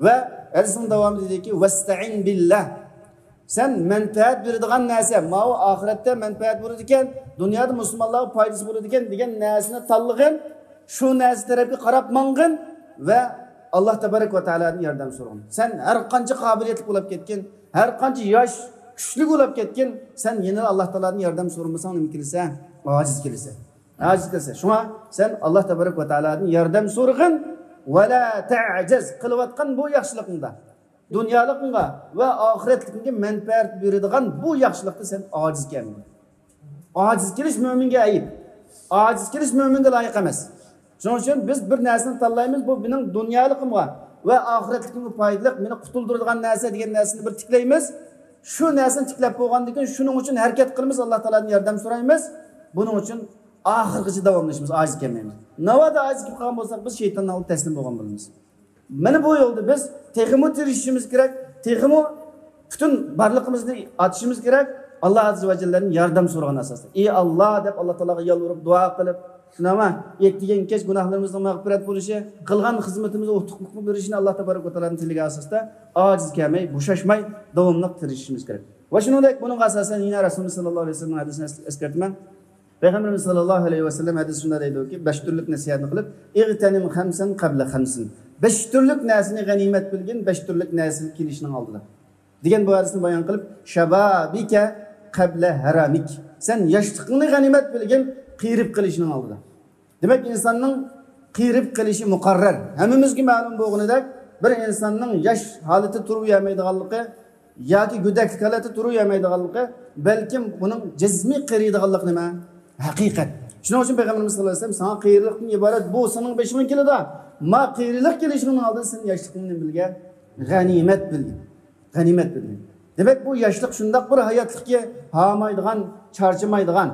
ۋە ھەدىسنىڭ داۋامىدا دېدىكى، ۋەستەئىن بىللا. سەن مەنپەئەت بېرىدىغان نەرسە، ماۋۇ ئاخىرەتتە مەنپەئەت بولىدىكەن، دۇنيادا مۇسۇلمانلارغا پايدىسى بولىدىكەن دېگەن نەرسىنى تاللىغىن، شۇ نەرسە تەرەپكە قاراپ ماڭغىن ۋە ئاللا تەبارەك ۋە تائالادىن ياردەم سورىغىن. سەن ھەر قانچە قابىلىيەتلىك بولۇپ كەتكىن، ھەر قانچە ياش، كۈچلۈك بولۇپ كەتكىن، سەن يەنىلا ئاللا تائالادىن ياردەم سورىمىساڭ نېمە كېلىسەن؟ ئاجىز كېلىسەن. ھاجەت قىلسا. شۇڭا سەن ئاللا تەبارەك ۋە تائالادىن ياردەم سورىغىن. ۋەلا تەجەز، قىلىۋاتقان بۇ ياخشىلىقىڭدا، دۇنيالىقىڭغا ۋە ئاخىرەتلىكىڭگە مەنپەئەت بېرىدىغان بۇ ياخشىلىقتا سەن ئاجىز كەلمىگىن. ئاجىز كېلىش مۆمىنگە ئەيىب. ئاجىز كېلىش مۆمىنگە لايىق ئەمەس. شۇنىڭ ئۈچۈن بىز بىر نەرسىنى تاللايمىز، بۇ مېنىڭ دۇنيالىقىمغا ۋە ئاخىرەتلىكىمگە پايدىلىق، مېنى قۇتۇلدۇرىدىغان نەرسە دېگەن نەرسىنى بىر تىكلەيمىز. شۇ نەرسىنى تىكلەپ بولغاندىن كېيىن شۇنىڭ ئۈچۈن ھەرىكەت قىلىمىز، ئاللا تائالادىن ياردەم سورايمىز. بۇنىڭ ئۈچۈن ئاخىرغىچە داۋاملىشىمىز، ئاجىز كەلمەيمىز. ناۋادا ئاجىز كېلىپ قالغان بولساق، بىز شەيتاننىڭ ئالدىدا تەسلىم بولغان بولىمىز. مانا بۇ يولدا بىز تېخىمۇ تىرىشىشىمىز كېرەك، تېخىمۇ پۈتۈن بارلىقىمىزنى ئاتىشىمىز كېرەك. ئاللا ئەززە ۋە جەللەدىن ياردەم سورىغان ئاساستا، ئى ئاللا دەپ ئاللا تائالاغا يالۋۇرۇپ، دۇئا قىلىپ، شۇنداقمۇ؟ يەتكەن-كەچ گۇناھلىرىمىزنىڭ مەغپىرەت بولۇشى، قىلغان خىزمىتىمىزنىڭ ئۇتۇقلۇق بېرىشىنى ئاللا تەبارەك ۋە تائالادىن تىلىگەن ئاساستا ئاجىز كەلمەي، بوشاشماي، داۋاملىق تىرىشىشىمىز كېرەك. ۋە شۇنىڭدەك بۇنىڭغا ئاساسەن يەنە رەسۇلىمىز سەللەللاھۇ ئەلەيھى ۋەسەللەمنىڭ ھەدىسىنى ئەس-، ئەسكەرتىمەن. پەيغەمبىرىمىز سەللەللاھۇ ئەلەيھى ۋەسەللەم ھەدىسى شۇنداق دەيدۇكى، بەش تۈرلۈك نەسىھەتنى قىلىپ، «ئىغتەنىم خەمسەن قەبلە خەمسىن.» بەش تۈرلۈك نەرسىنى غەنىيمەت بىلگىن، بەش تۈرلۈك نەرسە كېلىشىنىڭ ئالدىدا، دېگەن بۇ ھەدىسنى بايان قىلىپ، «شەبابىكە قەبلە ھەرامىك.» سەن ياشلىقىڭنى غەنىيمەت بىلگىن، قېرىپ قېلىشنىڭ ئالدىدا. دېمەك، ئىنساننىڭ قېرىپ قېلىشى مۇقەررەر. ھەممىمىزگە مەلۇم بولغىنىدەك، بىر ئىنساننىڭ ياش ھالىتى تۇرۇۋەرمەيدىغانلىقى ياكى گۆدەكلىك ھالەتتە تۇرۇۋەرمەيدىغانلىقى، بەلكىم بۇنىڭ جىسمىي قېرىيدىغانلىقى نېمە؟ ھەقىقەت. شۇنىڭ ئۈچۈن پەيغەمبىرىمىز سەللەللاھۇ ئەلەيھى ۋەسەللەم، «ساڭا قېرىلىقتىن ئىبارەت بۇ سېنىڭ بېشىڭغا كېلىدۇ. ما قېرىلىق كېلىشىڭنىڭ ئالدىدا سەن ياشلىقىڭنى نېمە بىلگەن؟ غەنىيمەت بىلگىن. غەنىيمەت بىلگىن.» دېمەك، بۇ ياشلىق شۇنداق بىر ھاياتلىقكى ھارمايدىغان، چارچىمايدىغان،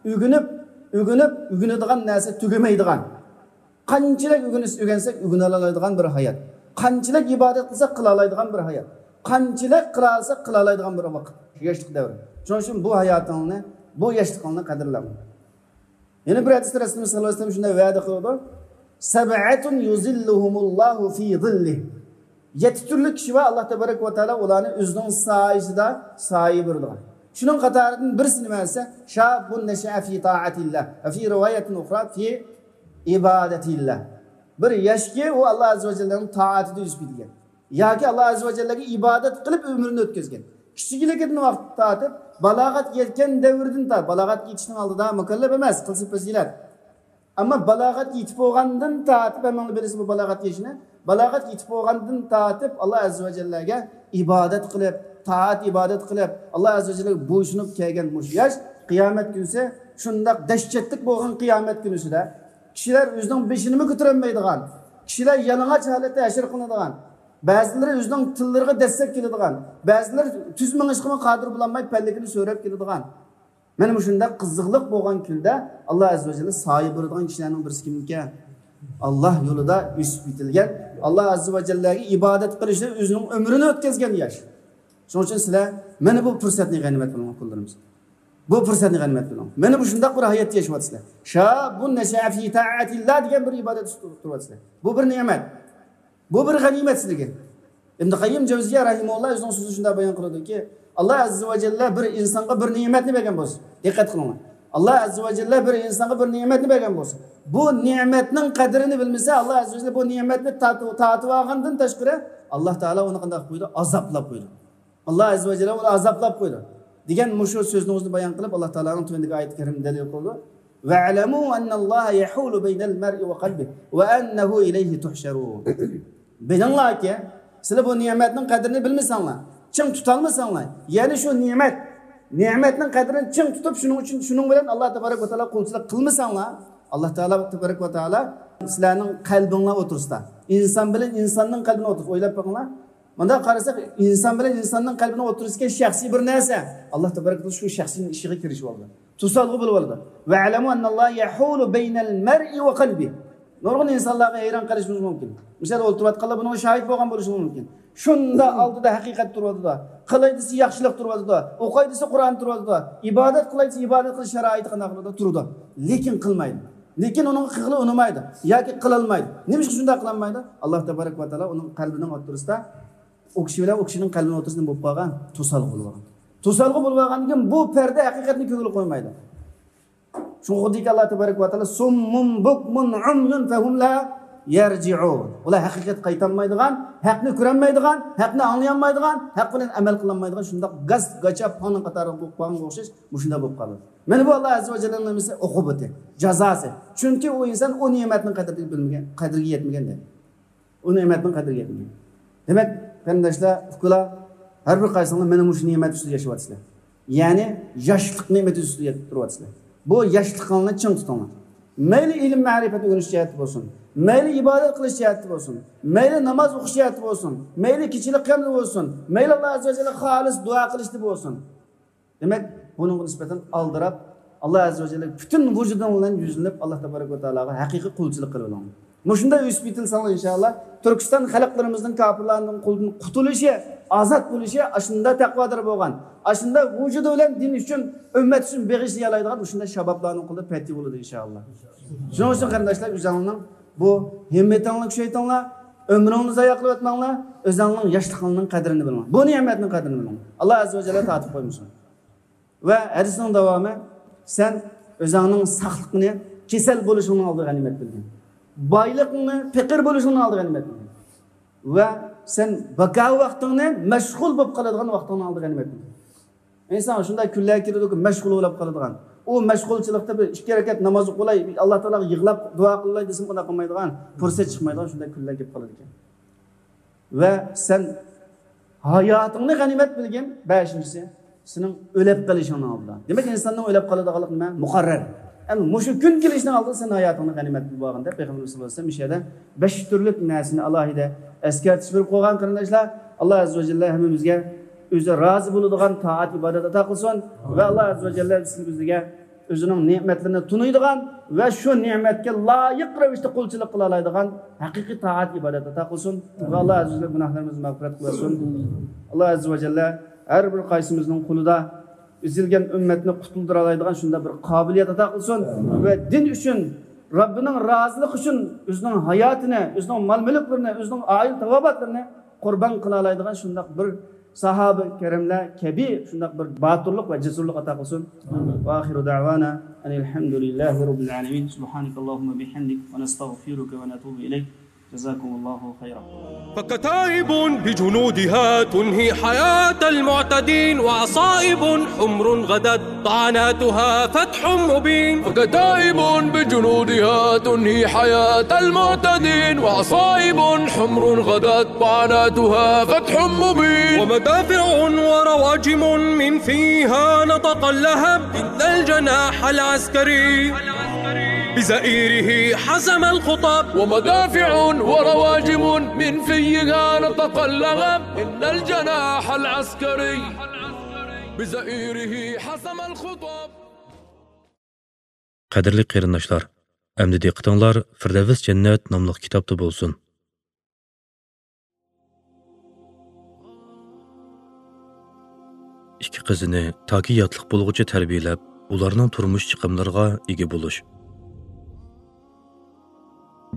ئۆگىنىپ، ئۆگىنىپ، ئۆگىنىدىغان نەرسە تۈگىمەيدىغان. قانچىلىك ئۆگىنىش-، ئۆگەنسەك ئۆگىنەلەيدىغان بىر ھايات. قانچىلىك ئىبادەت قىلساق قىلالايدىغان بىر ھايات. قانچىلىك قىلالىساق قىلالايدىغان بىر ۋاقىت. شۇ ياشلىق دەۋرى. شۇنىڭ ئۈچۈن بۇ ھاياتىڭنى، بۇ ياشلىقىڭنى قەدىرلەڭ. يەنە بىر ھەدىستە رەسۇلىمىز سەللەللاھۇ ئەلەيھى ۋەسەللەم شۇنداق ۋەدە قىلىدۇ، «سەبئەتۇن يۇزىللۇھۇمۇللاھۇ فى زىللىھ.» يەتتە تۈرلۈك كىشى بار، ئاللا تەبارەك ۋە تائالا ئۇلارنى ئۆزىنىڭ سايىسىدا سايە بېرىدىغان. شۇنىڭ قاتارىدىن بىرسى نېمە دېسە، «شاببۇن نەشەئە فى تائەتىللاھ ۋە فى رىۋايەتىن ئۇخرا فى ئىبادەتىللاھ.» بىر ياشكى ئۇ ئاللا ئەززە ۋە جەللەنىڭ تائەتىدە ئۆسۈپ يېتىلگەن ياكى ئاللا ئەززە ۋە جەللەگە ئىبادەت قىلىپ ئۆمرىنى ئۆتكۈزگەن. كىچىكلىكىدىن ۋاقىت تارتىپ بالاغەتكە يەتكەن دەۋردىن تارتىپ، بالاغەتكە يېتىشنىڭ ئالدىدا مۇكەللەپ ئەمەس، قىلسا پەزىلەت. ئەمما بالاغەتكە يېتىپ بولغاندىن تارتىپ، ھەممىڭلار بىلىسىز بۇ بالاغەتكە يېتىشنى. بالاغەتكە يېتىپ بولغاندىن تارتىپ ئاللا ئەززە ۋە جەللەگە ئىبادەت قىلىپ، تائەت ئىبادەت قىلىپ، ئاللا ئەززە ۋە جەللەگە بويسۇنۇپ كەلگەن مۇشۇ ياش قىيامەت كۈنىسى شۇنداق دەھشەتلىك بولغان قىيامەت كۈنىسىدە كىشىلەر ئۆزىنىڭ بېشىنىمۇ كۆتۈرەلمەيدىغان، كىشىلەر يالىڭاچ ھالەتتە ھەشر قىلىنىدىغان، بەزىلىرى ئۆزىنىڭ تىللىرىغا دەسسەپ كېلىدىغان، بەزىلىرى تۈز مېڭىشقىمۇ قادىر بولالماي پەللىكىنى سۆرەپ كېلىدىغان. مانا مۇشۇنداق قىزىقلىق بولغان كۈندە ئاللا ئەززە ۋە جەللە سايە بېرىدىغان كىشىلەرنىڭ بىرسى كىمكەن؟ ئاللا يولىدا ئۆسۈپ يېتىلگەن، ئاللا ئەززە ۋە جەللەگە ئىبادەت قىلىشتا ئۆزىنىڭ ئۆمرىنى ئۆتكۈزگەن ياش. شۇنىڭ ئۈچۈن سىلەر مانا بۇ پۇرسەتنى غەنىيمەت بىلىڭ، قۇللىرىمىز. بۇ پۇرسەتنى غەنىيمەت بىلىڭ. مانا مۇشۇنداق بىر ھاياتتا ياشاۋاتىسىلەر. شاببۇن نەشەئە فى تائەتىللاھ دېگەن بىر ئىبادەت ئۈستىدە تۇرۇۋاتىسىلەر. بۇ بىر نېمەت. بۇ بىر غەنىيمەت سىلىگە. ئىبن قەييىم جەۋزىيە رەھىمەھۇللا ئۆزىنىڭ سۆزىدە شۇنداق بايان قىلىدۇكى، ئاللا ئەززە ۋە جەللە بىر ئىنسانغا بىر نېمەتنى بەرگەن بولسا، دىققەت قىلىڭلار. ئاللا ئەززە ۋە جەللە بىر ئىنسانغا بىر نېمەتنى بەرگەن بولسا، بۇ نېمەتنىڭ قەدرىنى بىلمىسە، ئاللا ئەززە ۋە جەللە بۇ نېمەتنى تارتىۋ-، تارتىۋالغاندىن تاشقىرى، ئاللا تائالا ئۇنى قانداق قىلىپ قويىدۇ؟ ئازابلاپ قويىدۇ. ئاللا ئەززە ۋە جەللە ئۇنى ئازابلاپ قويىدۇ، دېگەن مۇشۇ سۆزنىڭ ئۆزىنى بايان قىلىپ، ئاللا تائالانىڭ تۆۋەندىكى ئايەت كەرىمىدە دەلىل قىلىدۇ. «ۋەئلەمۇ ئەننەللاھە يەھۇلۇ بەينەل مەرئى ۋە قەلبىھ ۋە ئەننەھۇ ئىلەيھى تۇھشەرۇن.» بىلىڭلاركى، سىلەر بۇ نېمەتنىڭ قەدرىنى بىلمىسەڭلار، چىڭ تۇتالمىساڭلار، يەنى شۇ نېمەت، نېمەتنىڭ قەدرىنى چىڭ تۇتۇپ، شۇنىڭ ئۈچۈن، شۇنىڭ بىلەن ئاللا تەبارەك ۋە تائالا قۇلچىلىق قىلمىساڭلار، ئاللا تائالا تەبارەك ۋە تائالا سىلەرنىڭ قەلبىڭلار ئوتتۇرىسىدا، ئىنسان بىلەن ئىنساننىڭ قەلبىنىڭ ئوتتۇرىسىدا، ئويلاپ بېقىڭلار. مۇنداق قارىساق، ئىنسان بىلەن ئىنساننىڭ قەلبىنىڭ ئوتتۇرىسىدىكى شەخسىي بىر نەرسە، ئاللا تەبارەك ۋە تائالا شۇ شەخسىينىڭ ئىچىگە كىرىشىۋالىدۇ. توسالغۇ بولۇۋالىدۇ. «ۋەئلەمۇ ئەننەللاھە يەھۇلۇ بەينەل مەرئى ۋە قەلبىھ.» نۇرغۇن ئىنسانلارغا ھەيران قېلىشىمىز مۇمكىن. مىسال، ئولتۇرۇۋاتقانلار بۇنىڭغا شاھىت بولغان بولۇشى مۇمكىن. شۇنداق ئالدىدا ھەقىقەت تۇرۇۋاتىدۇ. قىلاي دېسە ياخشىلىق تۇرۇۋاتىدۇ. ئوقاي دېسە قۇرئان تۇرۇۋاتىدۇ. ئىبادەت قىلاي دېسە ئىبادەت قىلىش شارائىتى قانداق قىلىدۇ؟ تۇرىدۇ. لېكىن قىلمايدۇ. لېكىن ئۇنىڭغا قىلغىلى ئۇنىمايدۇ ياكى قىلالمايدۇ. نېمىشقا شۇنداق قىلالمايدۇ؟ ئاللا تەبارەك ۋە تائالا ئۇنىڭ قەلبىنىڭ ئوتتۇرىسىدا ئۇ كىشى بىلەن ئۇ كىشىنىڭ قەلبىنىڭ ئوتتۇرىسىدا نېمە بولۇپ قالغان؟ توسالغۇ بولۇپ قالغان. توسالغۇ بولۇپ قالغاندىن كېيىن بۇ پەردە ھەقىقەتنى كۆڭۈل قويمايدۇ. شۇڭا خۇددىكى ئاللا تەبارەك ۋە تائالا، «سۇممۇن بۇكمۇن عۇميۇن فەھۇم لا يەرجىئۇن.» ئۇلار ھەقىقەتكە قايتالمايدىغان، ھەقنى كۆرەلمەيدىغان، ھەقنى ئاڭلىيالمايدىغان، ھەق بىلەن ئەمەل قىلالمايدىغان شۇنداق گاس، گاچا، پاڭنىڭ قاتارىغا بولۇپ قالغانغا ئوخشاش، مۇشۇنداق بولۇپ قالىدۇ. مانا بۇ ئاللا ئەززە ۋە جەللەنىڭ نېمىسى؟ ئوقۇبىتى، جازاسى. چۈنكى ئۇ ئىنسان ئۇ نېمەتنىڭ قەدرىگە بىلمىگەن، قەدرىگە يەتمىگەن دەيدۇ. ئۇ نېمەتنىڭ قەدرىگە يەتمىگەن. دېمەك، قېرىنداشلار، ئۇكىلار، ھەر بىر قايسىڭلار مانا مۇشۇ نېمەت ئۈستىدە ياشاۋاتىسىلەر. يەنى ياشلىق نېمىتى ئۈستىدە تۇرۇۋاتىسىلەر. بۇ ياشلىقىڭلارنى چىڭ تۇتۇڭلار. مەيلى ئىلىم مەرىپەت ئۆگىنىش جەھەتتە بولسۇن، مەيلى ئىبادەت قىلىش جەھەتتە بولسۇن، مەيلى ناماز ئوقۇش جەھەتتە بولسۇن، مەيلى كېچىلىك قىيامدا بولسۇن، مەيلى ئاللا ئەززە ۋە جەللە خالىس دۇئا قىلىشتا بولسۇن. دېمەك، بۇنىڭغا نىسبەتەن ئالدىراپ، ئاللا ئەززە ۋە جەللە پۈتۈن ۋۇجۇدۇڭ بىلەن يۈزلىنىپ، ئاللا تەبارەك ۋە تائالاغا ھەقىقىي قۇلچىلىق قىلىۋېلىڭ. مۇشۇنداق ئۆسۈپ يېتىلسەڭلار، ئىنشائاللا، تۈركىستان خەلقلىرىمىزنىڭ كاپىرلارنىڭ قولىدىن قۇتۇلۇشى، ئازاد بولۇشى، ئاشۇنداق تەقۋادار بولغان، ئاشۇنداق ۋۇجۇدى بىلەن دىن ئۈچۈن، ئۈممەت ئۈچۈن بېغىشلىيالايدىغان مۇشۇنداق شابابلارنىڭ قولىدا پەتھى بولىدۇ، ئىنشائاللا. شۇنىڭ ئۈچۈن، قېرىنداشلار، ئۆزۈڭلارنىڭ بۇ ھىممىتىڭلارنى كۈچەيتىڭلار، ئۆمرۈڭلارنى زايە قىلىۋەتمەڭلار، ئۆزۈڭلارنىڭ ياشلىقىڭلارنىڭ قەدرىنى بىلىڭلار. بۇ نېمەتنىڭ قەدرىنى بىلىڭلار. ئاللا ئەززە ۋە جەللە تارتىپ قويمىسۇن. ۋە ھەدىسنىڭ داۋامى، سەن ئۆزۈڭنىڭ ساقلىقىنى كېسەل بولۇشۇڭنىڭ ئالدىدا غەنىيمەت بىلگىن. بايلىقىڭنى پېقىر بولۇشۇڭنىڭ ئالدىدا غەنىيمەت بىلگىن. ۋە سەن بىكار ۋاقتىڭنى مەشغۇل بولۇپ قالىدىغان ۋاقتىڭنىڭ ئالدىدا غەنىيمەت بىلگىن. ئىنسان شۇنداق كۈنلەر كېلىدۇكى، مەشغۇل بولۇپ قالىدىغان. ئۇ مەشغۇلچىلىقتا بىر ئىككى رەكەت ناماز ئوقۇۋالاي، ئاللا تائالاغا يىغلاپ دۇئا قىلاي دېسىمۇ، قانداق قىلمايدىغان، پۇرسەت چىقمايدىغان شۇنداق كۈنلەر كېلىپ قالىدىكەن. ۋە سەن ھاياتىڭنى غەنىيمەت بىلگىن. بەشىنچىسى، سېنىڭ ئۆلۈپ قېلىشىڭنىڭ ئالدىدا. دېمەك، ئىنساننىڭ ئۆلۈپ قالىدىغانلىقى نېمە؟ مۇقەررەر. ئەمما مۇشۇ كۈن كېلىشنىڭ ئالدىدا سەن ھاياتىڭنى غەنىيمەت بىلىپ بولغىنىڭدا، پەيغەمبىرىمىز سەللەللاھۇ ئەلەيھى ۋەسەللەم مۇشۇ يەردە بەش تۈرلۈك نەرسىنى ئالاھىدە ئەسكەرتىش بېرىپ قويغان، قېرىنداشلار. ئاللا ئەززە ۋە جەللە ھەممىمىزگە ئۆزى رازى بولىدىغان تائەت ئىبادەت ئاتا قىلسۇن. ۋە ئاللا ئەززە ۋە جەللە بىزگە ئۆزىنىڭ نېمەتلىرىنى تونۇيدىغان ۋە شۇ نېمەتكە لايىق رەۋىشتە قۇلچىلىق قىلالايدىغان ھەقىقىي تائەت ئىبادەت ئاتا قىلسۇن. ۋە ئاللا ئەززە ۋە جەللە گۇناھلىرىمىزنى مەغپىرەت قىلسۇن. ئاللا ئەززە ۋە جەللە ھەر بىر قايسىمىزنىڭ قولىدا ئۈزۈلگەن ئۈممەتنى قۇتۇلدۇرالايدىغان شۇنداق بىر قابىلىيەت ئاتا قىلسۇن. ۋە دىن ئۈچۈن، رەببىنىڭ رازىلىقى ئۈچۈن ئۆزىنىڭ ھاياتىنى، ئۆزىنىڭ مال-مۈلۈكلىرىنى، ئۆزىنىڭ ئائىلە تاۋابىئاتلىرىنى قۇربان قىلالايدىغان شۇنداق بىر ساھابە كىراملار كەبى شۇنداق بىر باتۇرلۇق ۋە جەسۇرلۇق ئاتا قىلسۇن. ئامىن. ۋە ئاخىرۇ دەۋانا ئەنىل ھەمدۇلىللاھى رەببىل ئالەمىن. سۇبھانەكەللاھۇممە بىھەمدىك ۋە نەستەغفىرۇكە ۋە نەتۇبۇ ئىلەيك. جەزاكۇمۇللاھۇ خەيرا. فكتائب بجنودها تنهي حياة المعتدين، وعصائب حمر غدت طعناتها فتح مبين. فكتائب بجنودها تنهي حياة المعتدين، وعصائب حمر غدت طعناتها فتح مبين. ومدافع ورواجم من فيها نطق اللهب، إن الجناح العسكري بزئيره حسم الخطب. ومدافع ورواجم من فيها نطق اللهب، إن الجناح العسكري بزئيره حسم الخطب. قەدىرلىك قېرىنداشلار، ئەمدى دىققىتىڭلار فىردەۋس جەننەت ناملىق كىتابتا بولسۇن. ئىككى قىزىنى تاكى ياتلىق بولغۇچە تەربىيەلەپ، ئۇلارنىڭ تۇرمۇش چىقىملىرىغا ئىگە بولۇش.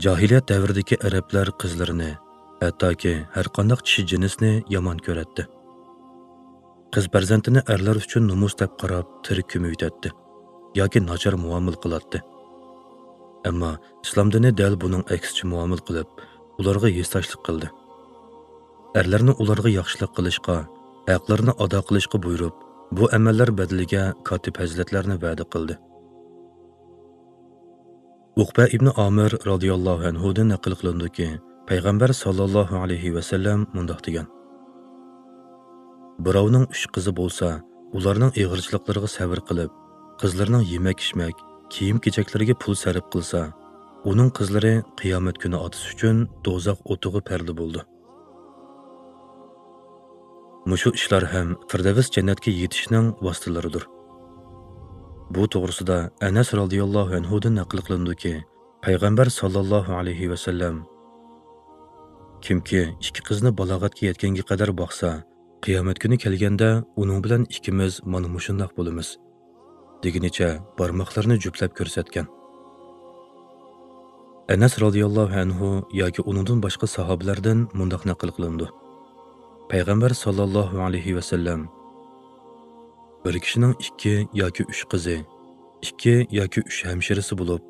جاھىلىيەت دەۋرىدىكى ئەرەبلەر قىزلىرىنى، ھەتتاكى ھەرقانداق چىشى جىنسنى يامان كۆرەتتى. قىز پەرزەنتىنى ئەرلەر ئۈچۈن نومۇس دەپ قاراپ، تىرىك كۆمۈۋېتەتتى ياكى ناچار مۇئامىلە قىلاتتى. ئەمما ئىسلام دىنى دەل بۇنىڭ ئەكسىچە مۇئامىلە قىلىپ، ئۇلارغا ھېسداشلىق قىلدى. ئەرلەرنى ئۇلارغا ياخشىلىق قىلىشقا، ھەقلىرىنى ئادا قىلىشقا بۇيرۇپ، بۇ ئەمەللەر بەدىلىگە كاتتا پەزىلەتلەرنى ۋەدە قىلدى. ئۇقبە ئىبنى ئامىر رازىياللاھۇ ئەنھۇدىن نەقىل قىلىنىدۇكى، پەيغەمبەر ساللاللاھۇ ئەلەيھى ۋەسەللەم مۇنداق دېگەن: بىراۋنىڭ ئۈچ قىزى بولسا، ئۇلارنىڭ ئېغىرچىلىقلىرىغا سەۋر قىلىپ، قىزلىرىنىڭ يېمەك-ئىچمەك، كىيىم-كېچەكلىرىگە پۇل سەرپ قىلسا، ئۇنىڭ قىزلىرى قىيامەت كۈنى ئاتىسى ئۈچۈن دوزاخ ئوتىغا پەردە بولىدۇ. مۇشۇ ئىشلار ھەم فىردەۋس جەننەتكە يېتىشنىڭ ۋاسىتىلىرىدۇر. بۇ توغرىسىدا ئەنەس رازىياللاھۇ ئەنھۇدىن نەقىل قىلىنىدۇكى، پەيغەمبەر ساللاللاھۇ ئەلەيھى ۋەسەللەم: كىمكى ئىككى قىزنى بالاغەتكە يەتكەنگە قەدەر باقسا، قىيامەت كۈنى كەلگەندە ئۇنىڭ بىلەن ئىككىمىز مانا مۇشۇنداق بولىمىز، دېگىنىچە بارماقلىرىنى جۈپلەپ كۆرسەتكەن. ئەنەس رازىياللاھۇ ئەنھۇ ياكى ئۇنىڭدىن باشقا ساھابىلەردىن مۇنداق نەقىل قىلىنىدۇ: پەيغەمبەر ساللاللاھۇ ئەلەيھى ۋەسەللەم: بىر كىشىنىڭ ئىككى ياكى ئۈچ قىزى، ئىككى ياكى ئۈچ ھەمشىرىسى بولۇپ،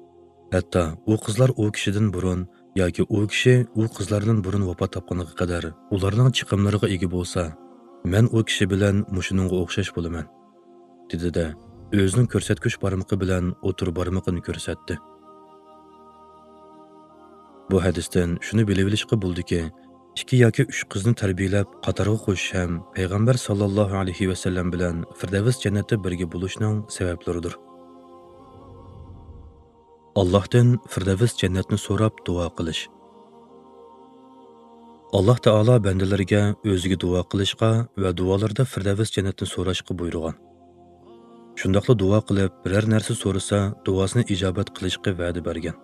ھەتتا ئۇ قىزلار ئۇ كىشىدىن بۇرۇن ياكى ئۇ كىشى ئۇ قىزلاردىن بۇرۇن ۋاپات تاپقىنىغا قەدەر ئۇلارنىڭ چىقىملىرىغا ئىگە بولسا، مەن ئۇ كىشى بىلەن مۇشۇنىڭغا ئوخشاش بولىمەن، دېدى-دە، ئۆزىنىڭ كۆرسەتكۈچ بارمىقى بىلەن ئوتتۇرا بارمىقىنى كۆرسەتتى. بۇ ھەدىستىن شۇنى بىلىۋېلىشقا بولىدۇكى، ئىككى ياكى ئۈچ قىزنى تەربىيەلەپ قاتارغا قوشۇش ھەم پەيغەمبەر ساللاللاھۇ ئەلەيھى ۋەسەللەم بىلەن فىردەۋس جەننەتتە بىرگە بولۇشنىڭ سەۋەبلىرىدۇر. ئاللاھتىن فىردەۋس جەننەتنى سوراپ دۇئا قىلىش. ئاللاھ تائالا بەندىلىرىگە ئۆزىگە دۇئا قىلىشقا ۋە دۇئالىرىدا فىردەۋس جەننەتنى سوراشقا بۇيرۇغان. شۇنداقلا دۇئا قىلىپ، بىرەر نەرسە سورىسا، دۇئاسىنى ئىجابەت قىلىشقا ۋەدە بەرگەن.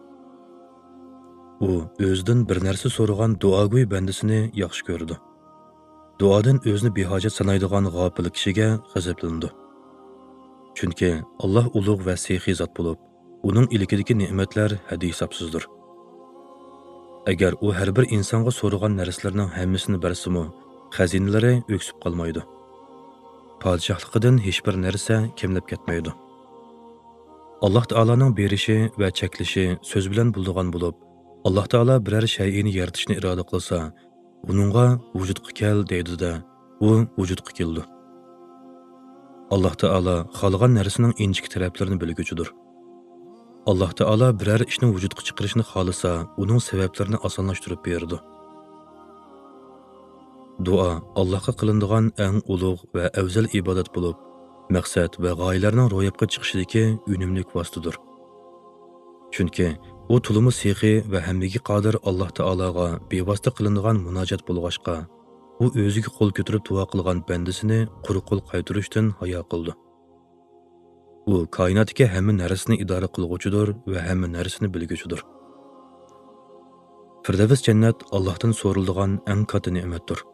ئۇ ئۆزىدىن بىر نەرسە سورىغان دۇئاگوي بەندىسىنى ياخشى كۆرىدۇ. دۇئادىن ئۆزىنى بىھاجەت سانايدىغان غاپىل كىشىگە غەزەپلىنىدۇ. چۈنكى ئاللاھ ئۇلۇغ ۋە سېخىي زات بولۇپ، ئۇنىڭ ئىلكىدىكى نېمەتلەر ھەددى-ھېسابسىزدۇر. ئەگەر ئۇ ھەر بىر ئىنسانغا سورىغان نەرسىلىرىنىڭ ھەممىسىنى بەرسىمۇ، خەزىنىلىرى ئۆكسۈپ قالمايدۇ. پادىشاھلىقىدىن ھېچبىر نەرسە كەملەپ كەتمەيدۇ. ئاللاھ تائالانىڭ بېرىشى ۋە چەكلىشى سۆز بىلەن بولىدىغان بولۇپ، ئاللاھ تائالا بىرەر شەيئىنى يارىتىشنى ئىرادە قىلسا، ئۇنىڭغا «ۋۇجۇدقا كەل» دەيدۇ-دە، ئۇ ۋۇجۇدقا كېلىدۇ. ئاللاھ تائالا خالىغان نەرسىنىڭ ئىنچىكە تەرەپلىرىنى بىلگۈچىدۇر. ئاللاھ تائالا بىرەر ئىشنى ۋۇجۇدقا چىقىرىشنى خالىسا، ئۇنىڭ سەۋەبلىرىنى ئاسانلاشتۇرۇپ بېرىدۇ. دۇئا ئاللاھقا قىلىنىدىغان ئەڭ ئۇلۇغ ۋە ئەۋزەل ئىبادەت بولۇپ، مەقسەت ۋە غايىلەرنىڭ روياپقا چىقىشىدىكى ئۈنۈملۈك ۋاسىتىدۇر. چۈنكى ئۇ تولىمۇ سېخىي ۋە ھەممىگە قادىر ئاللاھ تائالاغا بىۋاسىتە قىلىنىدىغان مۇناجات بولغاچقا، ئۇ ئۆزىگە قول كۆتۈرۈپ دۇئا قىلغان بەندىسىنى قۇرۇق قول قايتۇرۇشتىن ھايا قىلىدۇ. ئۇ كائىناتتىكى ھەممە نەرسىنى ئىدارە قىلغۇچىدۇر ۋە ھەممە نەرسىنى بىلگۈچىدۇر. فىردەۋس جەننەت ئاللاھتىن سورىلىدىغان ئەڭ كاتتا نېمەتتۇر.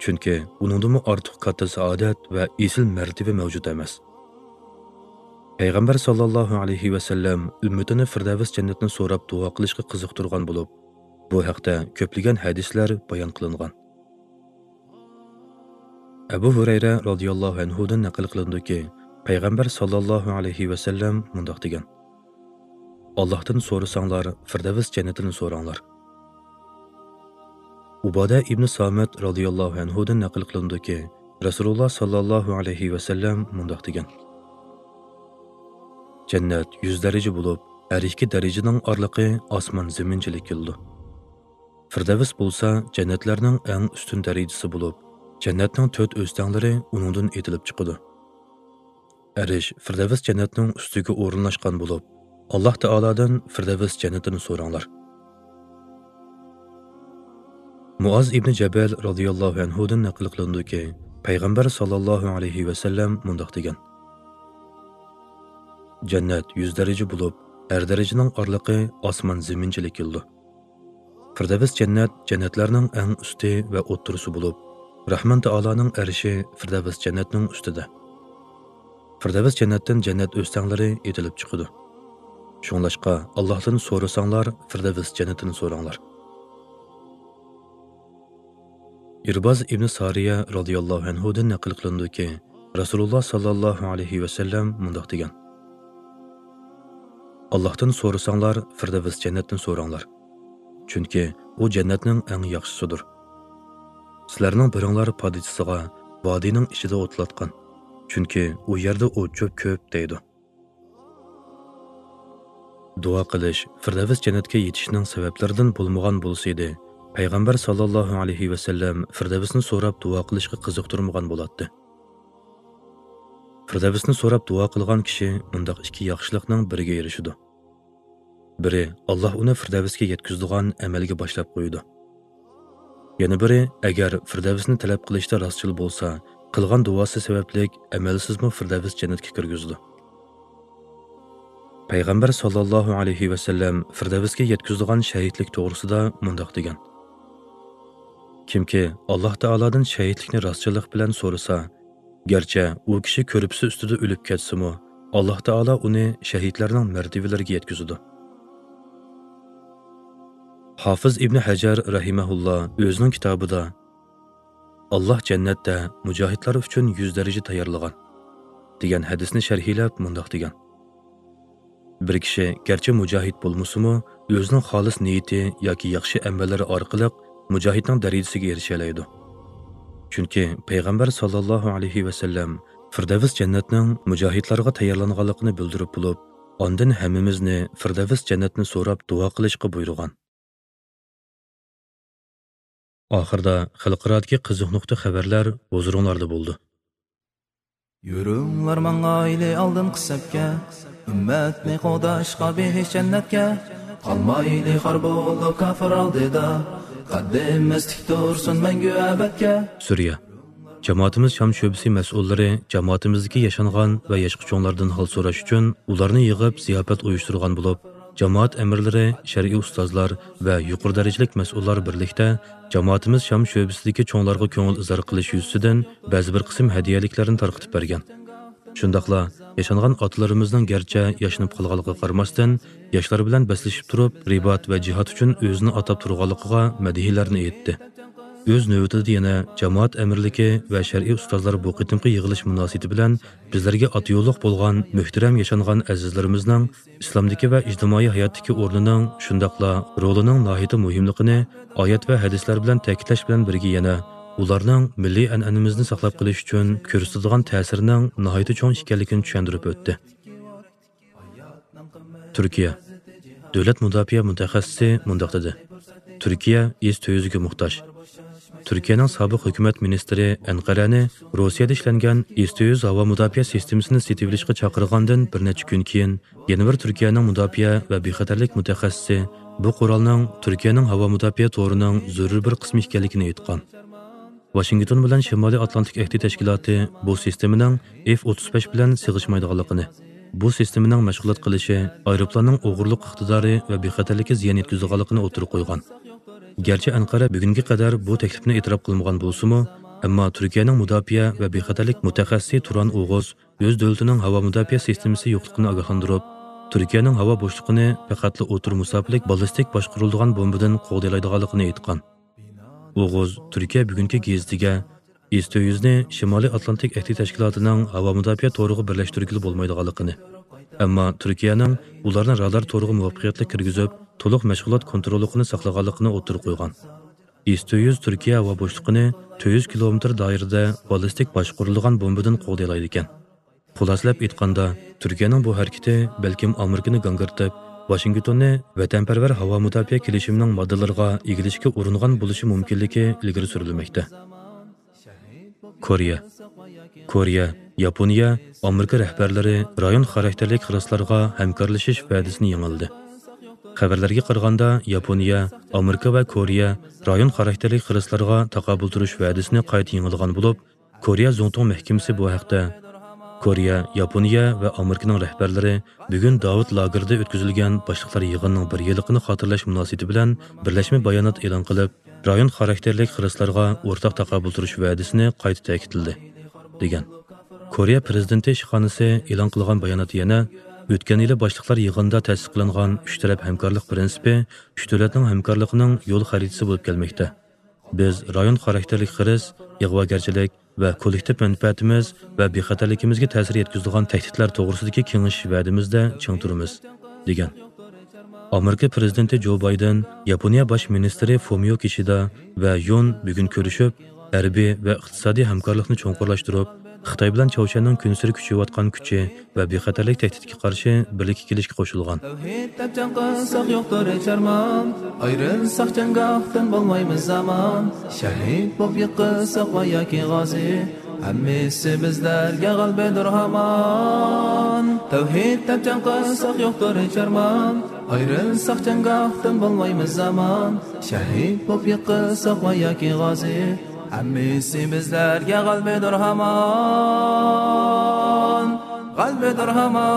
چۈنكى ئۇنىڭدىنمۇ ئارتۇق كاتتا سائادەت ۋە ئېسىل مەرتىۋە مەۋجۇت ئەمەس. پەيغەمبەر ساللاللاھۇ ئەلەيھى ۋەسەللەم ئۈممىتىنى فىردەۋس جەننەتنى سوراپ دۇئا قىلىشقا قىزىقتۇرغان بولۇپ، بۇ ھەقتە كۆپلىگەن ھەدىسلەر بايان قىلىنغان. ئەبۇ ھۇرەيرە رازىياللاھۇ ئەنھۇدىن نەقىل قىلىنىدۇكى، پەيغەمبەر ساللاللاھۇ ئەلەيھى ۋەسەللەم مۇنداق دېگەن: «ئاللاھتىن سورىساڭلار، فىردەۋس جەننىتىنى سوراڭلار.» ئۇبادە ئىبنى سامىت رازىياللاھۇ ئەنھۇدىن نەقىل قىلىنىدۇكى، رەسۇلۇللا ساللاللاھۇ ئەلەيھى ۋەسەللەم مۇنداق دېگەن: «جەننەت يۈز دەرىجە بولۇپ، ھەر ئىككى دەرىجىنىڭ ئارىلىقى ئاسمان زېمىنچىلىك كېلىدۇ. فىردەۋس بولسا جەننەتلەرنىڭ ئەڭ ئۈستۈن دەرىجىسى بولۇپ، جەننەتنىڭ تۆت ئۆستەڭلىرى ئۇنىڭدىن ئېتىلىپ چىقىدۇ. ئەرش فىردەۋس جەننەتنىڭ ئۈستىگە ئورۇنلاشقان بولۇپ، ئاللاھ تائالادىن فىردەۋس جەننىتىنى سوراڭلار.» مۇئاز ئىبنى جەبەل رازىياللاھۇ ئەنھۇدىن نەقىل قىلىنىدۇكى، پەيغەمبەر ساللاللاھۇ ئەلەيھى ۋەسەللەم مۇنداق دېگەن: «جەننەت يۈز دەرىجە بولۇپ، ھەر دەرىجىنىڭ ئارىلىقى ئاسمان زېمىنچىلىك كېلىدۇ. فىردەۋس جەننەت جەننەتلەرنىڭ ئەڭ ئۈستى ۋە ئوتتۇرىسى بولۇپ، رەھمان تائالانىڭ ئەرشى فىردەۋس جەننەتنىڭ ئۈستىدە. فىردەۋس جەننەتتىن جەننەت ئۆستەڭلىرى ئېتىلىپ چىقىدۇ. شۇڭلاشقا ئاللاھتىن سورىساڭلار، فىردەۋس جەننىتىنى سوراڭلار.» ئىرباز ئىبنى سارىيە رازىياللاھۇ ئەنھۇدىن نەقىل قىلىنىدۇكى، رەسۇلۇللا ساللاللاھۇ ئەلەيھى ۋەسەللەم مۇنداق دېگەن: «ئاللاھتىن سورىساڭلار، فىردەۋس جەننەتنى سوراڭلار. چۈنكى ئۇ جەننەتنىڭ ئەڭ ياخشىسىدۇر. سىلەرنىڭ بىرىڭلار پادىچىسىغا ۋادىنىڭ ئىچىدە ئوتلاتقان، چۈنكى ئۇ يەردە ئوت-چۆپ كۆپ» دەيدۇ. دۇئا قىلىش فىردەۋس جەننەتكە يېتىشنىڭ سەۋەبلىرىدىن بولمىغان بولسىدى، پەيغەمبەر ساللاللاھۇ ئەلەيھى ۋەسەللەم فىردەۋسنى سوراپ دۇئا قىلىشقا قىزىقتۇرمىغان بولاتتى. فىردەۋسنى سوراپ دۇئا قىلغان كىشى مۇنداق ئىككى ياخشىلىقنىڭ بىرىگە ئېرىشىدۇ. بىرى، ئاللاھ ئۇنى فىردەۋسكە يەتكۈزىدىغان ئەمەلگە باشلاپ قويىدۇ. يەنە بىرى، ئەگەر فىردەۋسنى تەلەپ قىلىشتا راستچىل بولسا، قىلغان دۇئاسى سەۋەبلىك ئەمەلسىزمۇ فىردەۋس جەننەتكە كىرگۈزىدۇ. پەيغەمبەر ساللاللاھۇ ئەلەيھى ۋەسەللەم فىردەۋسكە يەتكۈزىدىغان شەھىدلىك توغرىسىدا مۇنداق دېگەن: «كىمكى ئاللاھ تائالادىن شەھىدلىكنى راستچىللىق بىلەن سورىسا، گەرچە ئۇ كىشى كۆرپىسى ئۈستىدە ئۆلۈپ كەتسىمۇ، ئاللاھ تائالا ئۇنى شەھىدلەرنىڭ مەرتىۋىلىرىگە يەتكۈزىدۇ.» ھافىز ئىبنى ھەجەر رەھىمەھۇللا ئۆزىنىڭ كىتابىدا، «ئاللاھ جەننەتتە مۇجاھىدلار ئۈچۈن يۈز دەرىجە تەييارلىغان» دېگەن ھەدىسنى شەرھلەپ مۇنداق دېگەن: بىر كىشى گەرچە مۇجاھىد بولمىسىمۇ، ئۆزىنىڭ خالىس نىيىتى ياكى ياخشى ئەمەللىرى ئارقىلىق مۇجاھىدنىڭ دەرىجىسىگە ئېرىشەلەيدۇ. چۈنكى پەيغەمبەر ساللاللاھۇ ئەلەيھى ۋەسەللەم فىردەۋس جەننەتنىڭ مۇجاھىدلارغا تەييارلانغانلىقىنى بىلدۈرۈپ بولۇپ، ئاندىن ھەممىمىزنى فىردەۋس جەننەتنى سوراپ دۇئا قىلىشقا بۇيرۇغان. ئاخىرىدا خەلقئارادىكى قىزىق نۇقتا خەۋەرلەر ھۇزۇرۇڭلاردا بولىدۇ. يۈرۈڭلار ماڭايلى ئالدىنقى سەپكە، ئۈممەتنى قوغداشقا بېھىش جەننەتكە. قالمايلى خار بولۇپ كاپىر ئالدىدا، قەددىمىز تىك تۇرسۇن مەڭگۈ ئەبەدكە. سۈرىيە. جامائىتىمىز شام شۆبىسى مەسئۇللىرى جامائىتىمىزدىكى ياشانغان ۋە ياشقا چوڭلاردىن ھال سوراش ئۈچۈن ئۇلارنى يىغىپ زىياپەت ئۇيۇشتۇرغان بولۇپ، جامائەت ئەمىرلىرى، شەرئىي ئۇستازلار ۋە يۇقىرى دەرىجىلىك مەسئۇللار بىرلىكتە جامائىتىمىز شام شۆبىسىدىكى چوڭلارغا كۆڭۈل ئىزھار قىلىش يۈزىسىدىن بەزى بىر قىسىم ھەدىيەلىكلەرنى تارقىتىپ بەرگەن. شۇنداقلا ياشانغان ئاتىلىرىمىزنىڭ گەرچە ياشىنىپ قالغانلىقىغا قارىماستىن، ياشلار بىلەن بەسلىشىپ تۇرۇپ، رىبات ۋە جىھاد ئۈچۈن ئۆزىنى ئاتاپ تۇرغانلىقىغا مەدھىيەلەرنى ئېيتتى. ئۆز نۆۋىتىدە يەنە جامائەت ئەمىرلىكى ۋە شەرئىي ئۇستازلار بۇ قېتىمقى يىغىلىش مۇناسىۋىتى بىلەن بىزلەرگە ئاتا يوللۇق بولغان مۆھتەرەم ياشانغان ئەزىزلىرىمىزنىڭ ئىسلامدىكى ۋە ئىجتىمائىي ھاياتتىكى ئورنىنىڭ، شۇنداقلا رولىنىڭ ناھايىتى مۇھىملىقىنى ئايەت ۋە ھەدىسلەر بىلەن تەكىتلەش بىلەن بىرگە يەنە ئۇلارنىڭ مىللىي ئەنئەنىمىزنى ساقلاپ قېلىش ئۈچۈن كۆرسىتىدىغان تەسىرىنىڭ ناھايىتى چوڭ ئىكەنلىكىنى چۈشەندۈرۈپ ئۆتتى. تۈركىيە. دۆلەت مۇداپىئە مۇتەخەسسىسى مۇنداق دېدى: تۈركىيە ئىس تۆت يۈزگە موھتاج. تۈركىيەنىڭ سابىق ھۆكۈمەت مىنىستىرى ئەنقەرەنى روسىيەدە ئىشلەنگەن ئىس تۆت يۈز ھاۋا مۇداپىئە سىستېمىسىنى سېتىۋېلىشقا چاقىرغاندىن بىر نەچچە كۈن كېيىن، يەنە بىر تۈركىيەنىڭ مۇداپىئە ۋە بىخەتەرلىك مۇتەخەسسىسى بۇ قورالنىڭ تۈركىيەنىڭ ھاۋا مۇداپىئە تورىنىڭ زۆرۈر بىر قىسمى ئىكەنلىكىنى ئېيتقان. ۋاشىنگتون بىلەن شىمالىي ئاتلانتىك ئەھدى تەشكىلاتى بۇ سىستېمىنىڭ ئېف ئوتتۇز بەش بىلەن سىغىشمايدىغانلىقىنى، بۇ سىستېمىنىڭ مەشغۇلات قىلىشى ئايروپىلاننىڭ ئوغرىلىق ئىقتىدارى ۋە بىخەتەرلىككە زىيان يەتكۈزىدىغانلىقىنى ئوتتۇرىغا قويغان. گەرچە ئەنقەرە بۈگۈنگە قەدەر بۇ تەكلىپنى ئېتىراپ قىلمىغان بولسىمۇ، ئەمما تۈركىيەنىڭ مۇداپىئە ۋە بىخەتەرلىك مۇتەخەسسىسى تۇران ئوغۇز ئۆز دۆلىتىنىڭ ھاۋا مۇداپىئە سىستېمىسى يوقلۇقىنى ئاگاھلاندۇرۇپ، تۈركىيەنىڭ ھاۋا بوشلۇقىنى پەقەتلا ئوتتۇرا مۇساپىلىك باللىستىك باشقۇرۇلىدىغان بومبىدىن قوغدىيالايدىغانلىقىنى ئېيتقان. ئوغۇز تۈركىيە بۈگۈنكى گېزىتىگە ئىس تۆت يۈزنى شىمالىي ئاتلانتىك ئەھدى تەشكىلاتىنىڭ ھاۋا مۇداپىئە تورىغا بىرلەشتۈرگىلى بولمايدىغانلىقىنى، ئەمما تۈركىيەنىڭ ئۇلارنى رادار تورىغا مۇۋەپپەقىيەتلىك كىرگۈزۈپ، تولۇق مەشغۇلات كونتروللۇقىنى ساقلىغانلىقىنى ئوتتۇرىغا قويغان. ئىس تۆت يۈز تۈركىيە ھاۋا بوشلۇقىنى تۆت يۈز كىلومېتىر دائىرىدە باللىستىك باشقۇرۇلىدىغان بومبىدىن قوغدىيالايدىكەن. خۇلاسىلەپ ئېيتقاندا، تۈركىيەنىڭ بۇ ھەرىكىتى بەلكىم ئامېرىكىنى گاڭگىرىتىپ، ۋاشىنگتوننى ۋەتەنپەرۋەر ھاۋا مۇداپىئە كېلىشىمىنىڭ ماددىلىرىغا ئېگىلىشكە ئۇرۇنغان بولۇشى مۇمكىنلىكى ئىلگىرى سۈرۈلمەكتە. كورېيە. كورېيە، ياپونىيە، ئامېرىكا رەھبەرلىرى رايون خاراكتېرلىك خىرىسلارغا ھەمكارلىشىش ۋەدىسىنى يېڭىلىدى. خەۋەرلەرگە قارىغاندا، ياپونىيە، ئامېرىكا ۋە كورېيە رايون خاراكتېرلىك خىرىسلارغا تاقابىل تۇرۇش ۋەدىسىنى قايتا يېڭىلىغان بولۇپ، كورېيە زۇڭتۇڭ مەھكىمىسى بۇ ھەقتە، كورېيە، ياپونىيە ۋە ئامېرىكىنىڭ رەھبەرلىرى بۈگۈن داۋۇت لاگېرىدا ئۆتكۈزۈلگەن باشلىقلار يىغىنىنىڭ بىر يىللىقىنى خاتىرىلەش مۇناسىۋىتى بىلەن بىرلەشمە بايانات ئېلان قىلىپ، رايون خاراكتېرلىك خىرىسلارغا ئورتاق تاقابىل تۇرۇش ۋەدىسىنى قايتا تەكىتلىدى، دېگەن. كورېيە پىرېزىدېنتى ئىشخانىسى ئېلان قىلغان باياناتتا يەنە، ئۆتكەن يىلى باشلىقلار يىغىنىدا تەستىقلانغان ئۈچ تەرەپ ھەمكارلىق پىرىنسىپى ئۈچ دۆلەتنىڭ ھەمكارلىقىنىڭ يول خەرىتىسى بولۇپ كەلمەكتە. بىز رايون خاراكتېرلىك خىرىس، ئىغۋاگەرچىلىك ۋە كوللېكتىپ مەنپەئەتىمىز ۋە بىخەتەرلىكىمىزگە تەسىر يەتكۈزىدىغان تەھدىتلەر توغرىسىدىكى كېڭىشىش ۋەدىمىزدە چىڭ تۇرىمىز، دېگەن. ئامېرىكا پىرېزىدېنتى جو بايدېن ياپونىيە باش مىنىستىرى فۇمىيو كىشىدا ۋە يون بۈگۈن كۆرۈشۈپ، ھەربىي ۋە ئىقتىسادىي ھەمكارلىقنى چوڭقۇرلاشتۇرۇپ، خىتاي بىلەن چاۋشيەننىڭ كۈنسېرى كۈچىيىۋاتقان كۈچى ۋە بىخەتەرلىك تەھدىتىگە قارشى بىرلىككە كېلىشكە قوشۇلغان. تەۋھىد دەپ جەڭ قىلساق يوقتۇر ھېچ ئارمان، ئايرىلساق جەڭگاھتىن بولمايمىز ئامان. شەھىد بولۇپ يىقىلساق ۋە ياكى غازى، ھەممىسى بىزلەرگە غەلىبىدۇر ھامان. تەۋھىد دەپ جەڭ قىلساق يوقتۇر ھېچ ئارمان، ئايرىلساق جەڭگاھتىن بولمايمىز ئامان. شەھىد بولۇپ يىقىلساق ۋە ياكى غازى، ھەممىسى بىزلەرگە غەلىبىدۇر ھامان، غەلىبىدۇر ھامان.